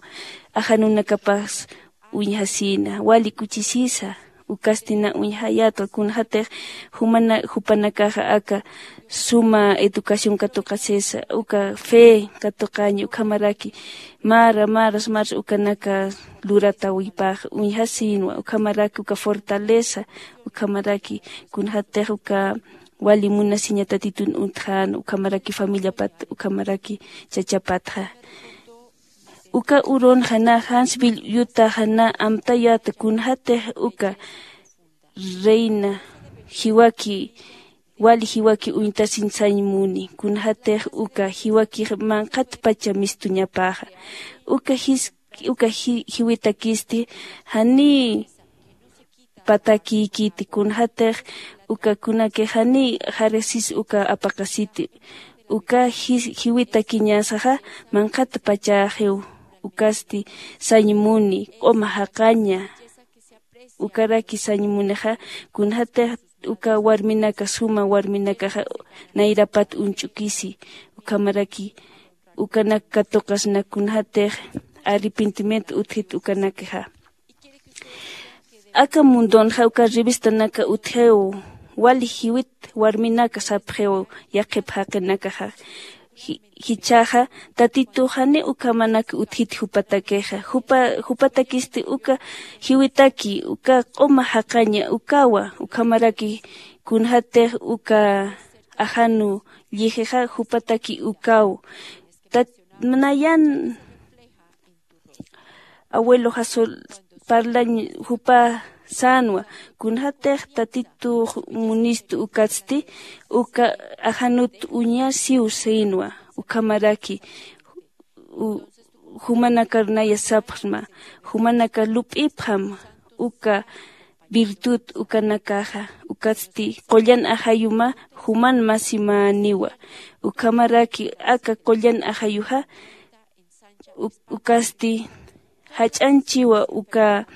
ajanunakapas uñjasïna wali kuchisisa. Ukasti na uñjayätwa kunjatix jumana jupanakaxa aka suma educación katuqasisa uka fe katuqaña ukhamaraki mara maras maras ukanaka luratawipax uñjasïnwa ukhamaraki uka fortaleza ukhamaraki kunjatix uka wali munasiña tatitun untxän ukhamaraki familiapat ukhamaraki chachapatxa. Uka urunxa na jansbill yutaxa na amtayäta kunjatix uka reina jiwaki wali jiwaki uñtasiñ sañ muni kunjatix uka jiwakix manqhatpacha mistuñapäxa uka jis uka jiwitakisti janiy patakïkiti kunjatix uka kunakix janiy jarisis uka apaqasiti uka jiwitakiñasaxa manqhatpachäxiw ukasti sañ muni q'uma jaqaña ukaraki sañ munixa kunjatix uka warminaka suma warminakaxa nayrapat uñch'ukisi ukhamaraki ukanak katuqasna kunjatix arrepentimiento utjit ukanakixa aka mundonxa uka revistanaka utjiw wali jiwit warminaka sapxiw yaqhip jaqinakaxa jichhaxa tatituxani ukhamanak utjit jupatakixa jupatakisti uka jiwitaki uka q'uma jaqaña ukawa ukhamaraki kunjatix uka ajanu llijixa jupataki ukaw nayan abuelo jasol parlañ jupa sänwa kunjatix tatitux munistu ukatsti uka ajanut uñasiw sïnwa ukhamaraki jumanakar naya sapxsma jumanakar lup'ipxam uka virtud ukanakaxa ukatsti qullan ajayuma juman masimäniwa ukhamaraki aka qullan ajayuxa ukasti jach'añchiwa uka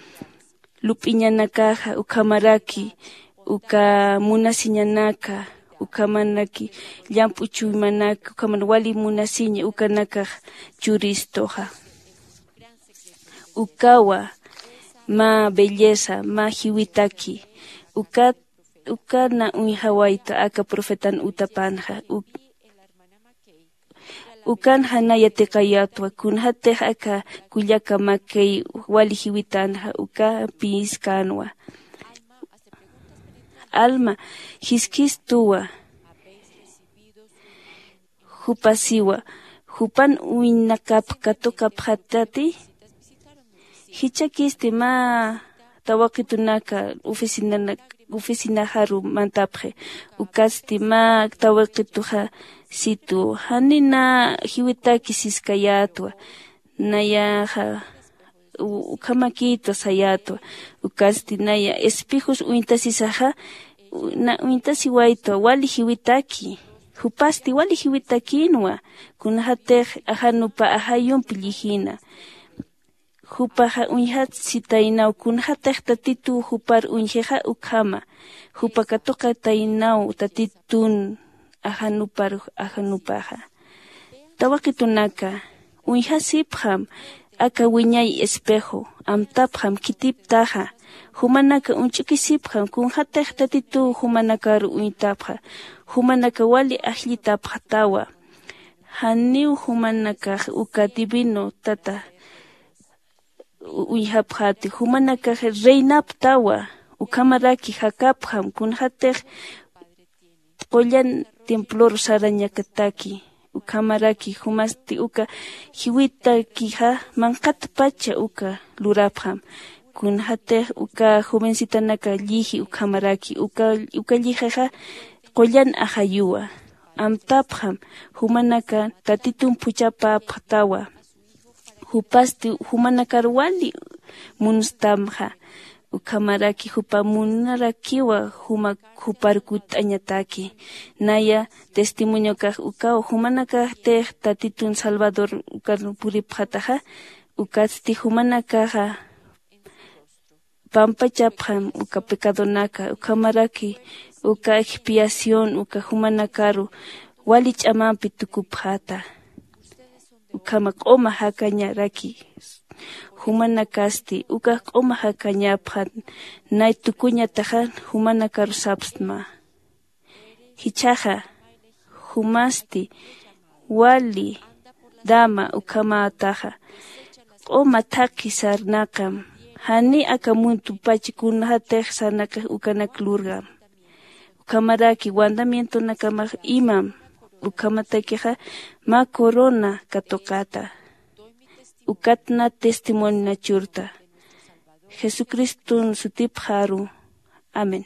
lup'iñanakaxa ukhamaraki uka munasiñanaka ukhamaraki llamp'u chuymanaka ukhamar wali munasiña ukanakax churistuxa ukawa mä belleza mä jiwitaki ukat uka na uñjawayta aka profetan utapanxa ukanxa na yatiqayätwa kunjatix aka kullaka makay wali jiwitanxa uka piskänwa alma jiskhistuwa jupasiwa jupan uñnakap katuqapxatati jichhakisti mä tawaqitunaka oficinaxaru mantapxi ukatsti mä tawaqituxa situ janina jiwitaki siskayätwa nayaxa ukhamakïtwa sayätwa ukatsti naya espejos uñtasisaxa na uñtasiwaytwa wali jiwitaki jupasti wali jiwitakïnwa kunjatix ajanupa ajayumpi llijina jupaxa uñjatsitaynaw kunjatix tatituw jupar uñjixa ukhama jupa katuqataynaw tatitun ajanupar ajanupaxa tawaqitunaka uñjasipxam aka wiñay espejo amtapxam khitiptaxa jumanaka uñch'ukisipxam kunjatix tatituw jumanakaru uñtapxa jumanaka wali ajllitapxtawa janiw jumanakax uka divino tata uñjapxäti jumanakax reinaptawa ukhamaraki jakapxam kunjatix qullan temploru sarañakataki ukhamaraki jumasti uka jiwitakixa manqhatpacha uka lurapxam kunjatix uka jovencitanaka lliji ukhamaraki uka llijixa qullan ajayuwa amtapxam jumanaka tatitun phuchhapapxtawa jupasti jumanakar wali munstamxa ukhamaraki jupa munarakiwa jumak jupar kutt'añataki naya testimoniokax ukaw jumanakaxtix tatitun salvador ukar puripxataxa ukatsti jumanakaxa pampachapxam uka pecadonaka ukhamaraki uka expiación uka jumanakaru wali ch'amampi tukupxata ukhama q'uma jakañaraki jumanakasti, ukax q'uma jakañapxan, nay tukuñataxa jumanakaru sapstma. Jichhaxa, jumasti, wali, dama, ukhamätaxa, q'uma thaqhi sarnaqam, jani aka muntupach kunjatix sarnaqix ukanak lurgam. Ukhamaraki wandamientonakamax imam, ukhamatakixa mä corona katuqata. Ukatna testimonina churta. Jesucriston sutipxaru. Amén.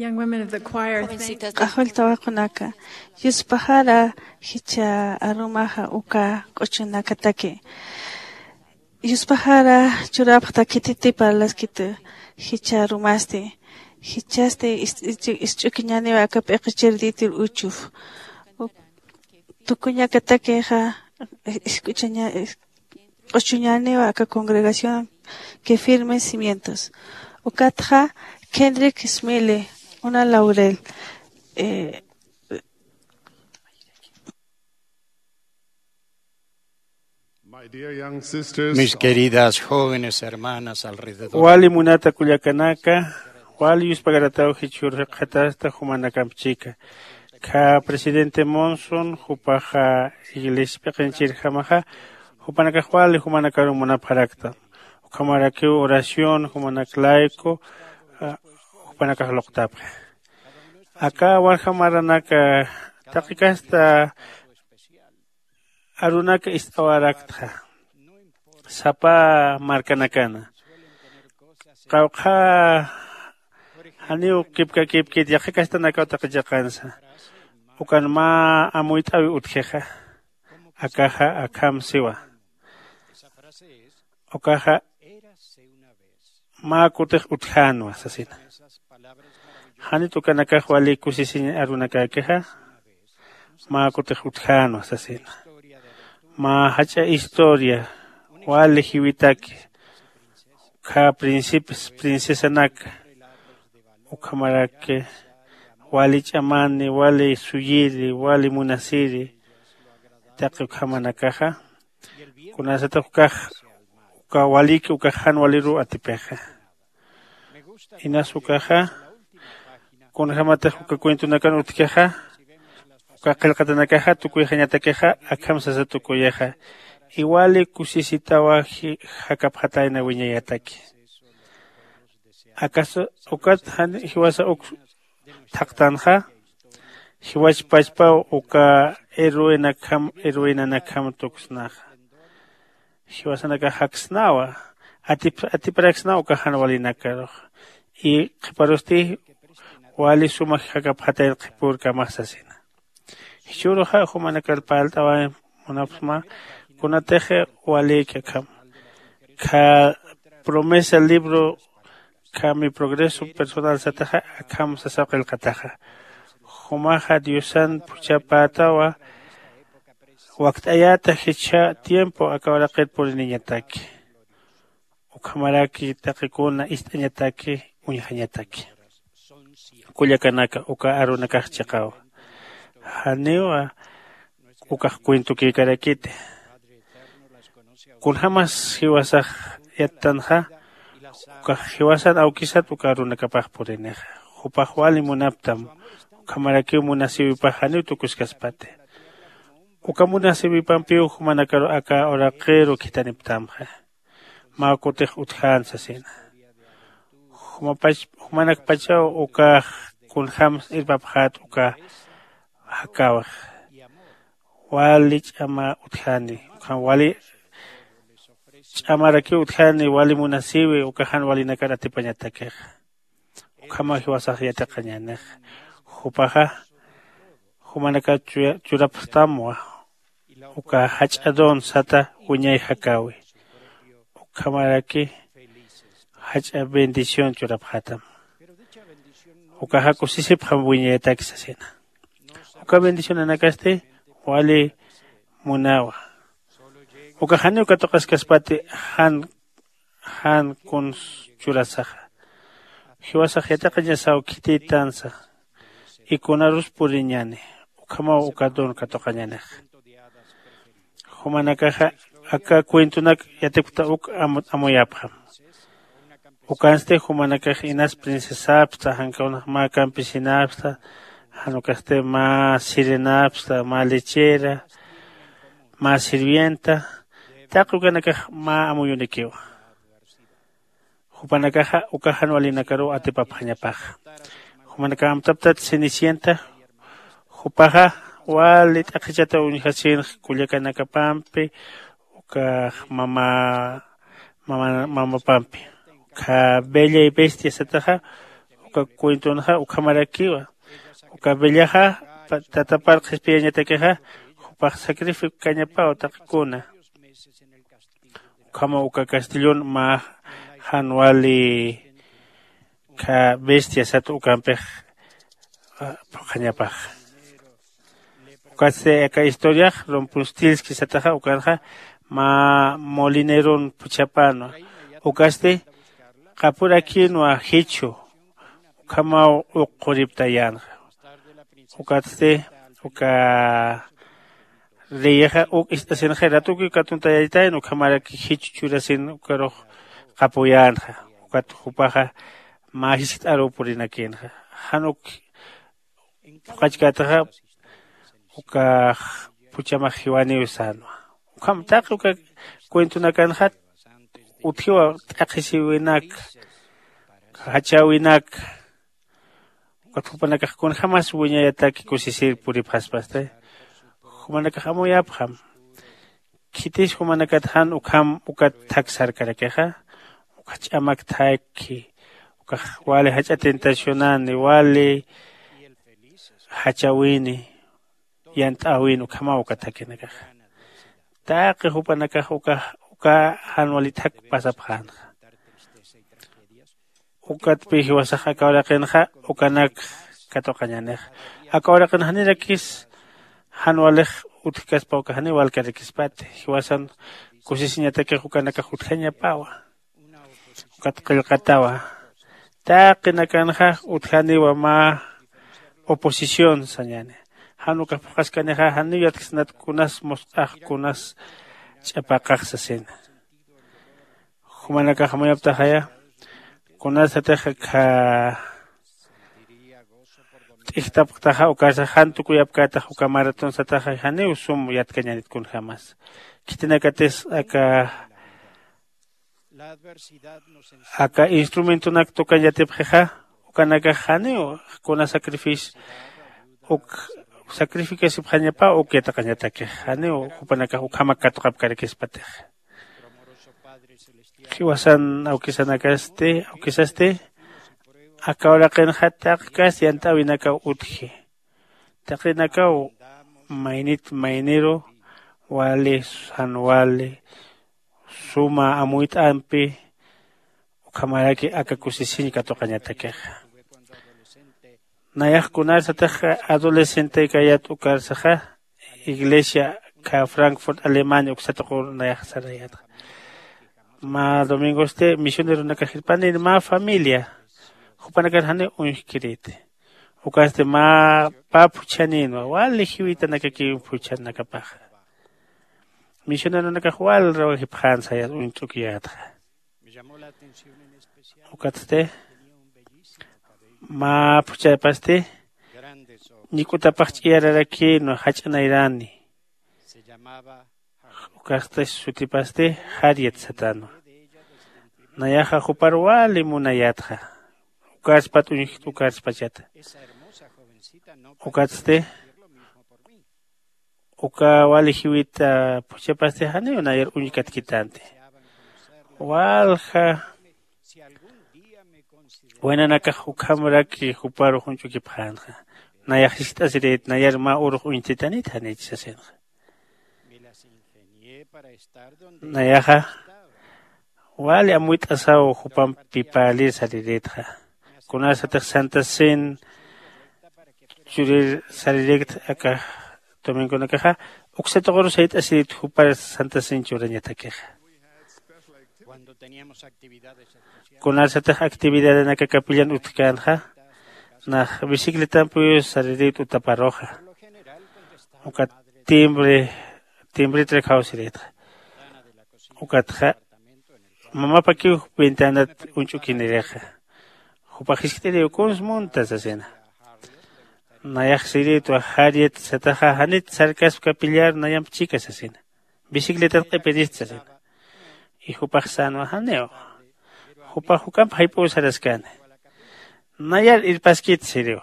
Young women of the choir, thank you. Q'axwil tawaqunaka, yuspaxara jichha arumaxa uka q'uchunakataki. Yuspaxara churapxta khititi parlaskitu jichha arumasti. Jichhasti is-, is-, isch'ukiñaniwa aka p'iqi chirditir uchuf. Tukuñakatakixa, isk'uchaña-, is-, q'uchuñaniwa aka congregación que firme cimientos. Ukatxa Kendrick Smiley, una laurel. Mis queridas jóvenes hermanas alrededor. Wali munata kullakanaka, wali yuspagarataw jichhur jikxatasta jumanakamp chika. Kha presidente Monson jupaxa iglesia p'iqinchirjamaxa, jupanakax wali jumanakaru munapxarakta. Ukhamarakiw oración jumanak laico jupanakax luqtapxi. Aka warja maranaka taqi kasta arunaka ist'awaraktxa sapa markanakana. Qawqha janiw kipkakipkit yaqha kastanakaw taqi chiqansa. Ukan mä amuyt'awi utjixa. Akaxa akham siwa. Ukaxa mä kutix utjänwa sasina. Janit ukanakax wali kusisiñ arunakäkixa. Mä kutix utjänwa sasina. Mä jach'a historia wali jiwitaki. Ukkha principes princesanaka ukhamaraki wali ch'amani wali suyiri wali munasiri. Taqi ukhamanakaxa kunasatix ukax uka waliki ukax jan waliruw atipixa. Inas ukaxa kunjämatix uka cuentonakan utjkixa uka qillqatanakaxa tukuyxañatakixa akham sasa tukuyixa. Iwali kusisitawa jakapxatayna wiñayataki. Akas ukat jan jiwasa uk thaqtanxa jiwach pachpaw uka heroinakjam heroinanakjam tuksnaxa. Jiwasanakax jaksnawa atiparaksnaw uka jan walinakaruxa. Y qhiparusti wali suma jakapxatayna qhipürkamax sasina. Jichhüruxa jumanakar parlt'awañ munapxsma kunatix walïki akham. Kha promesa libro kha mi progreso personal sataxa akham sasaw qillqataxa. Jumaxa diosan phuchhapätawa wakt'ayäta jichha tiempo aka uraqir puriniñataki. Ukhamaraki taqikuna ist'añataki uñjañataki. Kullakanaka uka arunakax chiqawa. Janiwa ukax cuentukïkarakiti. Kunjämas jiwasax yattanxa ukax jiwasan awkisat uka arunakapax purinixa. Jupax wali munaptam ukhamarakiw munasïwipax janiw tukuskaspati. Uka munasïwipampiw jumanakaru aka uraqiru khithaniptamxa. Mä kutix utjän sasina. Jumanakpachaw ukax kunjämsa irpapxät uka jakäwix. Wali ch'ama utjäni ukham wali ch'amarakiw utjäni wali munasïwi uka jan walinakar atipañatakixa. Ukhamaw jiwasax yatiqañänix. Jupaxa jumanakar churapxtamwa uka jach'a don sata wiñay jakäwi. Ukhamaraki jach'a bendición churapxätam. Ukaxa kusisipxam wiñayataki sasina. Uka bendicionanakasti wali munawa. Ukax janiw katuqaskaspati jan jan kuns churasaxa. Jiwasax yatiqañasaw khitïtansa y kunarus puriñäni. Ukhamaw uka don katuqañänixa. Jumanakaxa aka cuentonak yatipkta uk amuyapxam. Ukansti jumanakax inas princesapxta jan kawnax mä campesinapxta jan ukasti mä sirenapxta mä lechera mä sirvienta. Taqi ukanakax mä amuyunikiwa. Jupanakaxa uka jan walinakaruw atipapxañapaxa. Jumanakax amtaptat cenicienta. Jupaxa wali t'aqhichata uñjasïnx kullakanakapampi ukax mama mamapampi. Ukha bella y bestia sataxa uka cuentonxa ukhamarakiwa. Uka bellaxa tatapar qhispiyañatakixa jupax sacrificañapaw taqikuna. Ukhamaw uka castellon mä jan wali kha bestia sat ukampix phuqhañapax. Ukatsti aka historiax rumpustilski sataxa ukanxa mä molineron phuchhapänwa. Ukatsti qapurakïnwa jichhu ukhamaw uquriptayänxa. Ukatsti uka leyexa uk ist'asinxay ratuki ukatuntayaytayn ukhamarak jichu churasin ukarux qapuyänxa. Ukat jupaxa mä jiskt'aruw purinakïnxa. Jan uk phuqhachkätaxa ukax phuchhamax jiwaniw sänwa. Ukham taqi uka cuentonakanxa utjiwa t'aqhisiwinak jachäwinak. Ukat jupanakax kunjämas wiñayataki kusisir puripxaspasti jumanakax amuyapxam. Khitis jumanakat jan ukham ukat thak sarkarakixa uka ch'amak thakki ukax wali jach'a tentacionani wali jachawini yant'äwin ukhamaw uka thakinakaxa. Taqi jupanakax uka uka jan wali thak pasapxänxa. Ukatpï jiwasax aka uraqinxa ukanak katuqañänixa. Aka uraqin janirakis jan walix utjkaspa uka janiw walkarakispati jiwasan kusisiñatakix ukanakax utjañapawa. Ukat qillqatawa taqinakanxa utjaniwa mä oposición sañäni. Jan ukax phuqhaskanixa janiw yatksnat kunas musq'ax kunas ch'apaqax sasina. Jumanakax amuyaptaxaya kunasatix akha t'ijtapxtaxa ukarsa jan tukuyapkätax uka maratonsataxa janiw sum yatkañanit kunjämas. Khitinakatis aka aka instrumentonak tukañ yatipxixa ukanakax janiw kuna sacrificio uk sacrificasipxañapaw uk yatiqañatakix janiw jupanakax ukhamak katuqapkarakispatix. Jiwasan awkisanakasti awkisasti aka uraqinxa taqi kas yant'äwinakaw utji. Taqinakaw maynit mayniru wali jan wali suma amuyt'ampi ukhamaraki aka kusisiñ katuqañatakixa. Nayax kunarsatix adolescentekayat ukarsaxa iglesia kha Frankfurt Alemania uksatuqur nayax sarayatxa. Mä domingosti misioneronakax irpanïn mä familia jupanakar janiw uñjkirïti. Ukasti mä pä phuchhanïnwa wali jiwitanakakiw phuchhanakapaxa. Misioneronakax wal rawajipxän sayas uñt'ukiyätxa. Ukatsti mä phuchhapasti ñik'utapax ch'iyararakïnwa jach'a nayrani. Ukasti sutipasti Harriet satänwa. Nayaxa jupar wali munayätxa. Ukarspat uñjkta ukarspachata. Ukatsti uka wali jiwita phuchhapasti janiw nayar uñkatkitänti. Walja waynanakax ukhamraki juparux uñch'ukipxänxa. Nayax jiskt'asirït nayar mä urux uñtitanit janich sasinxa. Nayaxa wali amuyt'asaw jupampi parlir sarirïtxa. Kunasatix santa cen churir sarirïkt aka domingonakaxa uksatuquru sayt'asirït jupar santa cen churañatakixa. Kunasatix actividadanaka capillan utjkänxa nax bicicletampiw sarirït utaparuxa. Ukat timbre timbretrak jawsirïtxa. Ukatxa mamapakiw ventanat uñch'ukinirixa. Jupax jiskt'iriw kuns munta sasina. Nayax sirïtwa jariat sataxa janit sarkasp capillar nayamp chika sasina. Bicicletat q'ipirist sasina. Y jupax sänwa janiw. Jupax juk'amp jayp'uw saraskani. Nayar irpaskit siriw.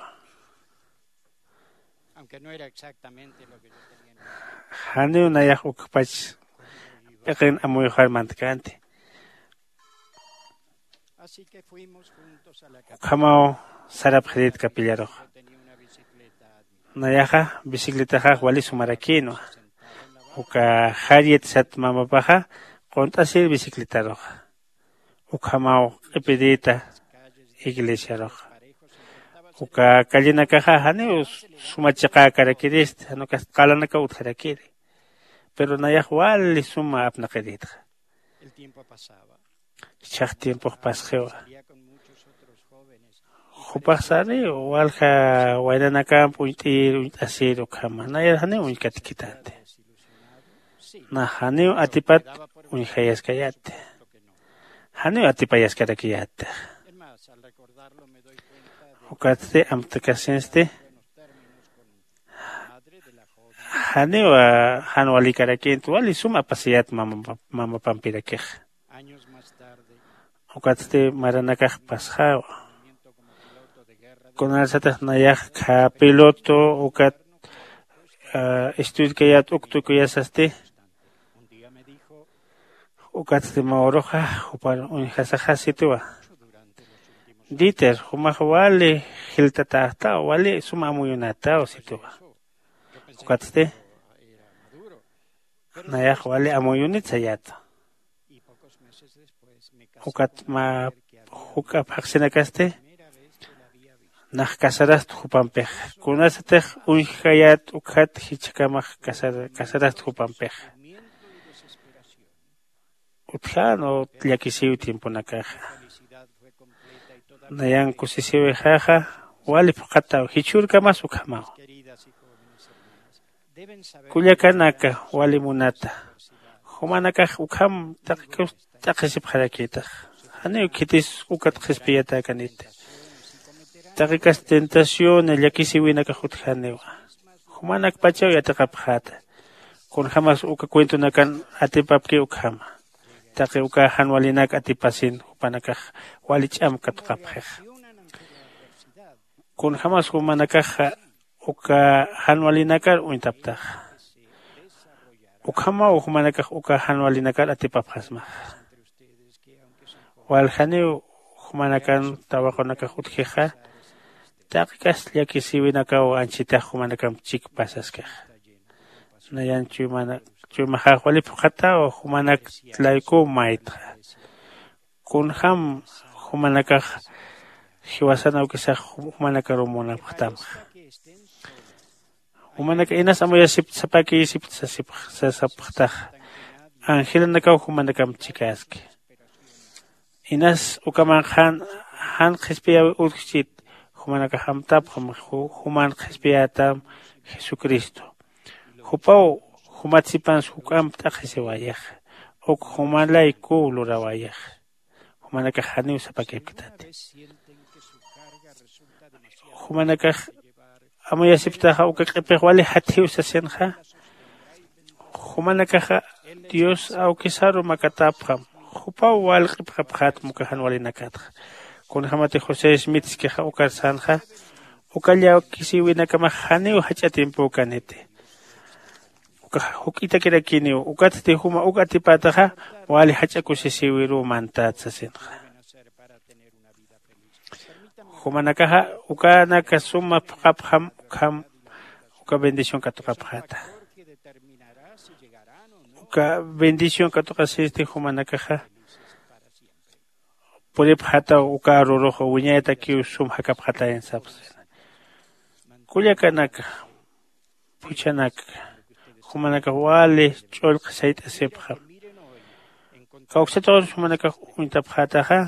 Janiw nayax ukpach p'iqin amuyuxar mantkänti. Ukhamaw sarapxirït capillarux. Nayaxa bicicletaxax wali sumarakïnwa. Uka jariat sat mamapaxa qunt'asir bicicletaruxa. Ukhamaw q'ipirïta iglesiaruxa. Uka callenakaxa janiw suma chiqäkarakirist jan ukas qalanakaw utjarakiri. Pero nayax wali suma apnaqirïtxa. Jichhax tiempox pasxiwa. Jupaxsari walja waynanakamp uñt'ir uñt'asir ukhama nayar janiw uñkatkitänti. Nax janiw atipat uñjayaskayätti. Janiw atipayaskarakiyättix. Ukatsti amtakasinsti janiw jan walikarakinti wali sum apasiyät mamapampirakix. Ukatsti maranakax pasxäwa. Kunasatix nayax khä piloto ukat estuditkayät uk tukuyasasti. Ukatsti mä uruxa jupar uñjasaxasitiwa. Dieter jumax wali jiltatäxtaw wali suma amuyunätaw sitiwa. Ukatsti nayax wali amuyunit sayäta. Ukat mä juk'a phaxsinakasti nax casarasta jupampixa kunasatix uñjayät ukjat jichhakamax casarasta jupampixa. Utjänu llakisiw tiemponakaxa. Nayan kusisiwixaxa wali phuqhataw jichhürkamas ukhamaw. Kullakanaka wali munata. Jumanakax ukham taqi kawsa t'aqhisipxarakïtax. Janiw khitis ukat qhispiyatäkaniti. Taqi kas tentación llakisiwinakax utjaniwa. Jumanakpachaw yatiqapxäta. Kunjämas uka cuentonakan atipapki ukhama. Taqi uka jan walinak atipasin jupanakax wali ch'am katuqapxixa. Kunjämas jumanakaxa uka jan walinakar uñtaptaxa. Ukhamaw jumanakax uka jan walinakar atipapxasmaxa. Waljaniw jumanakan tawaqunakax utjixa. Taqi kas llakisiwinakaw anchitax jumanakamp chikpasaskixa. Nayan chuymaxax wali phuqhataw jumanak laykuw maytxa. Kunjam jumanakax jiwasan awkisax jumanakaruw munapxtamxa. Jumanaka inas amuyasipta sapakiyisipta sasapxtaxa. Angelanakaw jumanakamp chikäski. Inas ukamanx jan qhispiyäwi utjchit. Jumanakax amtapxam juman qhispiyätam jesucristo. Jupaw jumat sipansa juk'amp t'aqhisiwayixa. Uk jumanlay kuw lurawayixa. Jumanakax janiw sapakipktati. Jumanakax amuyasipktaxa uka q'ipix wali jatjiw sasinxa. Jumanakaxa dios awkisaru makatapxam. Jupaw wal q'ipxapxätm uka jan walinakatxa. Kunjämatix josé smitskixa ukar sänxa. Uka llawkisïwinakamax janiw jach'a tiempükaniti. Ukax juk'itakirakiniw ukatsti juma uk atipätaxa wali jach'a kusisïwiruw mantät sasinxa. Jumanakaxa ukanaka suma phuqhapxam ukham uka bendición katuqapxäta. Uka bendición katuqasisti jumanakaxa puripxätaw uka arurux wiñayatakiw sum jakapxatayan sapxsina. Kullakanaka phuchhanaka jumanakax wali ch'ullqi sayt'asipxam. Kawksatuqanus jumanakax uñtapxätaxa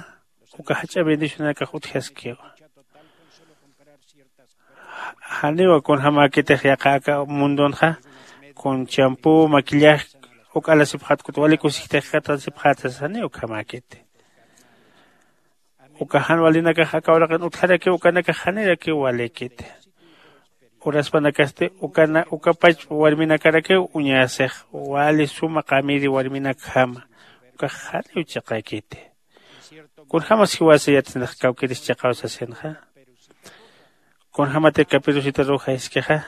uka jach'a bendicionanakax utjaskiwa. Janiwa kunjämäkitix yaqha aka mundonxa kun champú maquillaje uk alasipxät kut wali kusijtix katasipxäta sasa janiw ukhamäkiti. Uka jan walinakax aka uraqin utjarakiw ukanakax janirakiw walïkiti. Uraspanakasti ukana ukapach warminakarakiw uñasix wali suma qamiri warminakjama. Ukax janiw chiqaykiti. Kunjämas jiwasa yatsinax kawkiris chiqaw sasinxa. Kunjämati capirusita ruja jiskixa.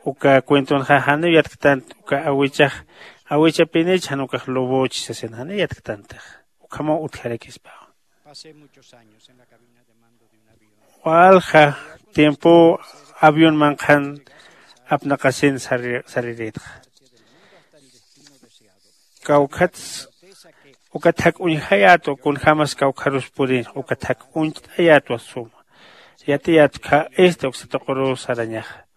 Uka cuentonxa janiw yatktanti uka awichax awichapinich jan ukax lobochi sasin janiw yatktantix. Ukhamaw utjarakispawa. Walja tiempow avionman qhan apnaqasin sariritxa. Kawkhats uka thak uñjayätwa kunjämas kawkharus purinxa uka thak uñt'ayätwa suma. Yatiyätwa khä este uksa tuquruw sarañaxa.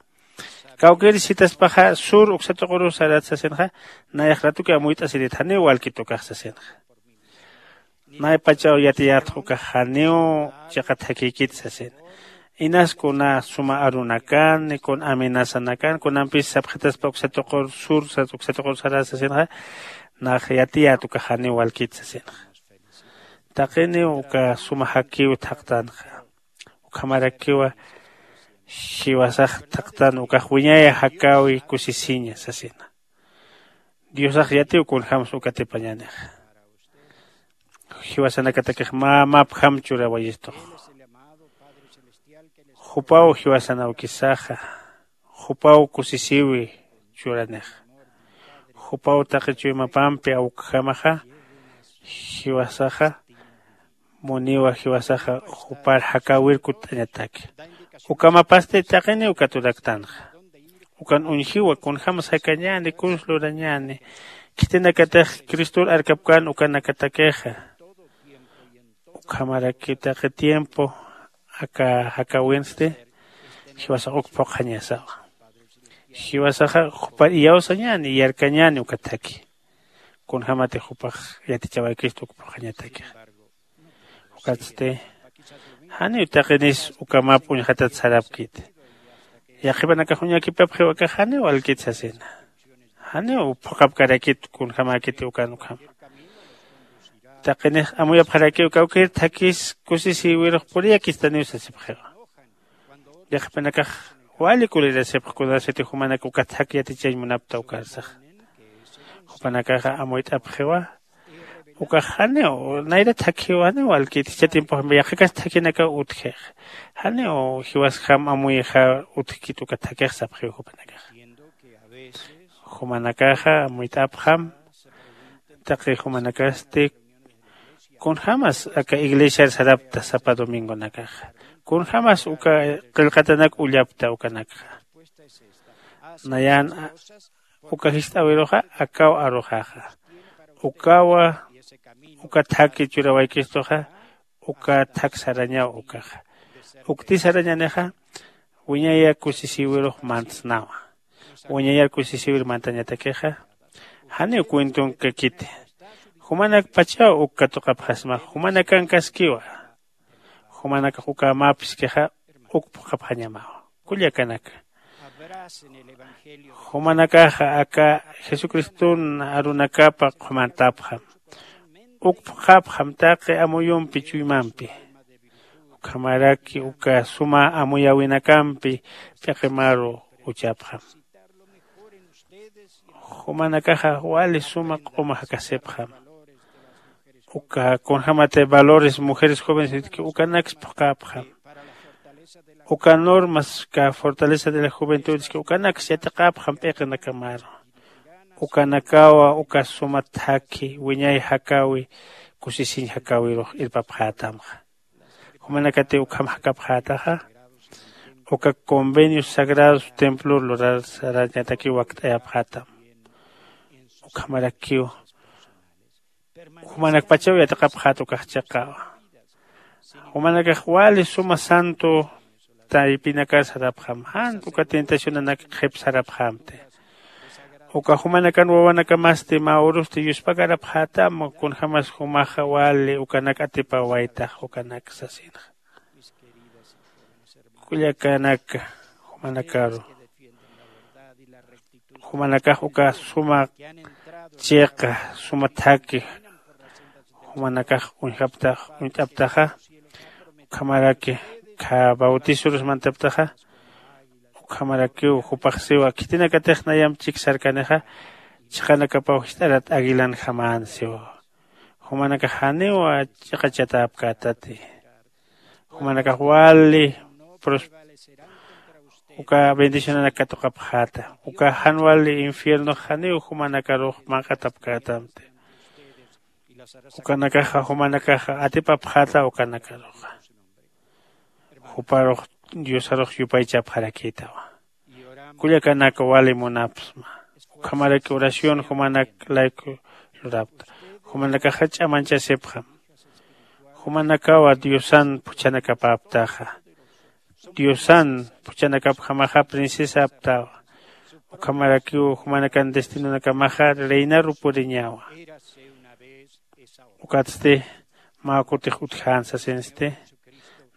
Kawkïris jitaspaxa sur uksa tuquruw sarat sasinxa. Nayax ratuki amuyt'asirit janiw walkit ukax sasinxa. Maypachaw yatiyatx ukax janiw chiqa thakïkit sasina. Inas kuna suma arunakani kuna amenazanakan kunampis sapxitaspa uksa tuqur sur sas uksa tuqur saras sasinxa. Nax yatiyät ukax janiw walkit sasinxa. Taqiniw uka suma jakiw thaqtanxa. Ukhamarakiwa jiwasax thaqtan ukax wiñaya jakäwi kusisiña sasina. Diosax yatiw kunjämsa uka atipañänixa. Jiwasanakatakix mä mäpjam churawayistux. Jupaw jiwasan awkisaxa. Jupaw kusisïwi churanixa. Jupaw taqi chuymapampi awkjamaxa. Jiwasaxa muniwa jiwasaxa jupar jakäwir kutt'añataki. Ukamapasti taqiniw katuraktanxa. Ukan uñjiwa kunjämsa jakañäni kuns lurañäni. Khitinakatix cristor arkapkän ukanakatakixa. Ukhamaraki taqi tiempo aka jakäwinsti jiwasax uk phuqhañasawa. Jiwasaxa jupar iyawsañäni yarkañäni uka thaki. Kunjämatix jupax yatichawaykistu uk phuqhañatakixa. Ukatsti janiw taqinis uka map uñjatat sarapkiti. Yaqhipanakax uñakipapxiw akax janiw walkit sasina. Janiw phuqhapkarakit kunjämäkiti ukan ukhama. Taqinix amuyapxarakiw kawkïr thakis kusisïwirux puriyakistaniw sasipxiwa. Yaqhipanakax wali kulirasipx kunasati jumanak uka thak yatichañ munapta ukarsaxa. Jupanakaxa amuyt'apxiwa. Ukax janiw nayra thakhiw janiw walkit jichha tiempoxampi yaqhikas thakhinakaw utjix. Janiw jiwasjam amuyxa utjkit uka thakix sapxiw jupanakaxa. Jumanakaxa amuyt'apxam. Taqi jumanakasti kunjämas aka iglesiar sarapta sapa domingonakaxa? Kunjämas uka qillqatanak ullapta ukanakxa? Nayan uka jist'äwiruxa akaw aruxaxa. Ukawa uka thaki churawaykistuxa. Uka thak sarañaw ukaxa. Ukti sarañanixa wiñaya kusisïwirux mantsnawa. Wiñayar kusisïwir mantañatakixa janiw cuentonkakiti. Jumanakpachaw uk katuqapxasma jumanakankaskiwa. Jumanakax uka mä phiskixa uk phuqhapxañamawa. Kullakanaka, jumanakaxa aka jesucriston arunakapa qhumantapxam. Uk phuqhapxam taqi amuyumpi chuymampi. Ukhamaraki uka suma amuyäwinakampi p'iqimaru uchapxam. Jumanakaxa wali suma q'uma jakasipxam. Uka kunjämati valores mujeres jóvenes utki ukanaks phuqhapxam. Uka normas ka fortaleza de la juventud utki ukanaks yatiqapxam p'iqinakamaru. Ukanakawa uka suma thakhi wiñay jakäwi kusisiñ jakäwirux irpapxätamxa. Jumanakati ukham jakapxätaxa. Uka convenios sagrados templor lurar sarañatakiw wakt'ayapxätam. Ukhamarakiw jumanakpachaw yatiqapxät ukax chiqawa. Jumanakax wali suma santo taypinakar sarapxam jan uka tentacionanak qhip sarapxämti. Uka jumanakan wawanakamasti mä urusti yuspakarapxätam kunjämas jumaxa wali ukanak atipawaytax ukanak sasinxa. Kullakanaka, jumanakaru jumanakax uka suma chiqa suma thaki jumanakax uñjaptax uñt'aptaxa. Ukhamaraki kha bautisorus mantaptaxa. Ukhamarakiw jupax siwa khitinakatix nayamp chik sarkanixa chiqanakapaw jist'arat aguilanjamän siwa. Jumanakax janiw chiqachatäpkätati. Jumanakax wali pros- uka bendicionanak katuqapxäta. Uka jan wali infiernox janiw jumanakarux manq'atapkätamti. Ukanakaxa jumanakaxa atipapxäta ukanakaruxa. Juparux diosarux yupaychapxarakïtawa. Kullakanaka wali munapxsma. Ukhamaraki oración jumanak layku lurapta. Jumanakaxa ch'amanchasipxam. Jumanakawa diosan phuchhanakapäptaxa. Diosan phuchhanakapjamaxa princesaptawa. Ukhamarakiw jumanakan destinonakamaxa reinaru puriñawa. Ukatsti mä kutix utjän sasinsti.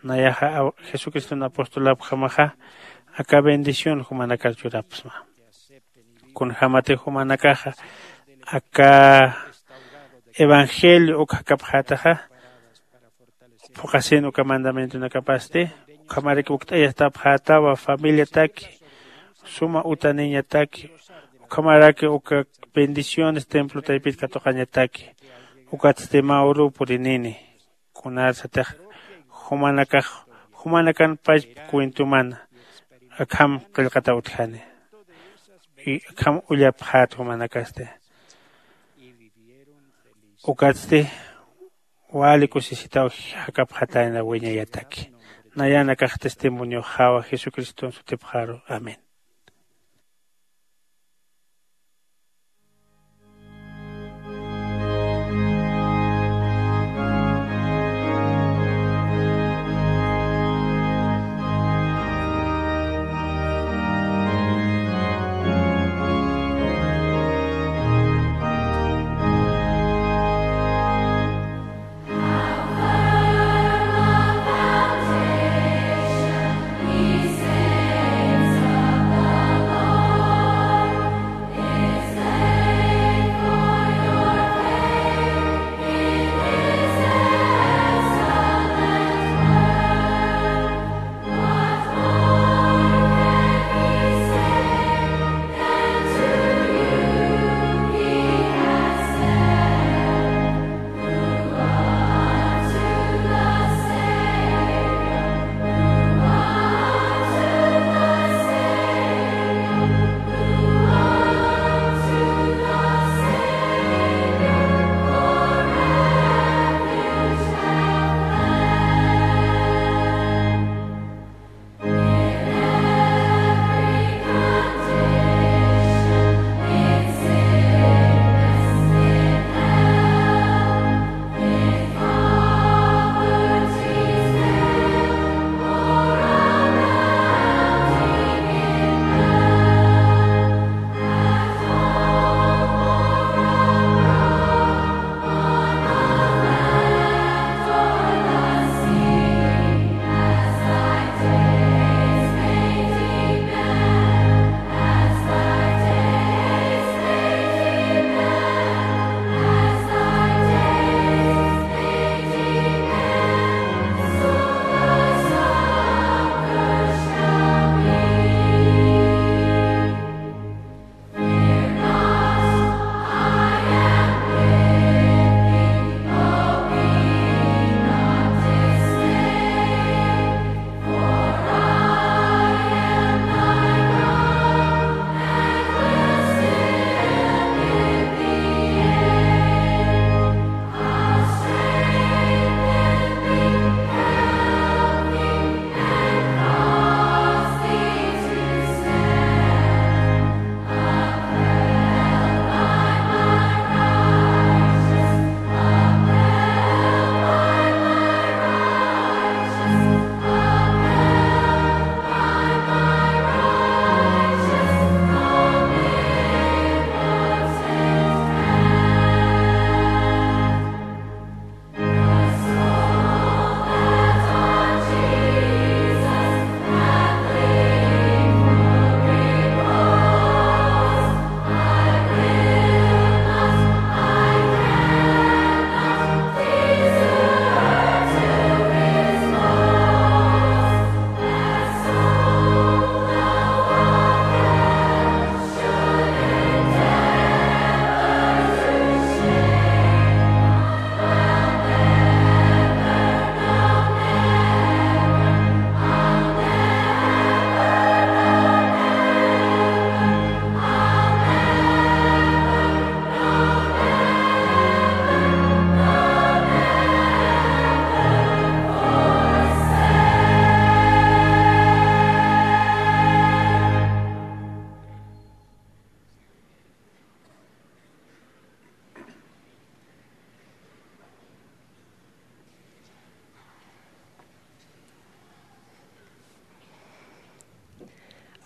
Nayaxa jesucriston apostolapjamaxa aka bendición jumanakar churapxsma. Kunjämatix jumanakaxa aka evangelio uk jakapxätaxa, phuqhasin uka mandamientonakapasti, ukhamaraki ukt'ayastapxätawa familiataki, suma utaniñataki, ukhamaraki uka bendiciones templo taypit katuqañataki. Ukatsti mä uru purinini. Kunarsatix jumanakax jumanakan pachpa cuentoman akham qillqataw utjani. Y akham ullapxät jumanakasti. Ukatsti wali kusisitaw jakapxatayna wiñayataki. Nayanakax testimonioxawa jesucriston sutipxaru. Amén.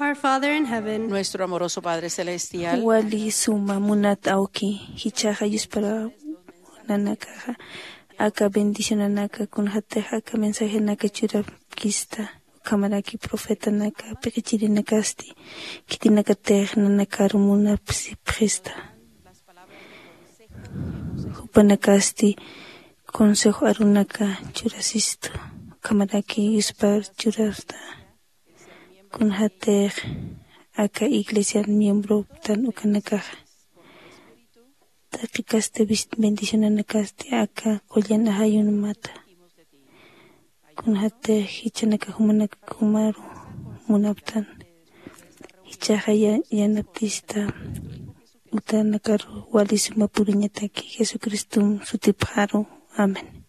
Our Father in heaven, nuestro amoroso Padre Celestial, wali suma munat awki, jichhaxa yuspara nanakaxa Aka bendicionanaka kunxatix aka mensajenaka churapkista. Ukhamaraki profetanaka piqichirinakasti khitinakatix nanakaru munapsipxista. Jupanakasti consejo arunaka churasistu. Ukhamaraki yuspar churasta. Kunxatix aka iglesian miembroktan ukanakaxa taqikasti bendicionanakasti aka qullan ajayunmata. Kunxatix jichanaka jumanaka jumaru munaptan. Jichaxa yanaptista utanakaru wali suma puriñataki jesucristom sutipxaru. Amén.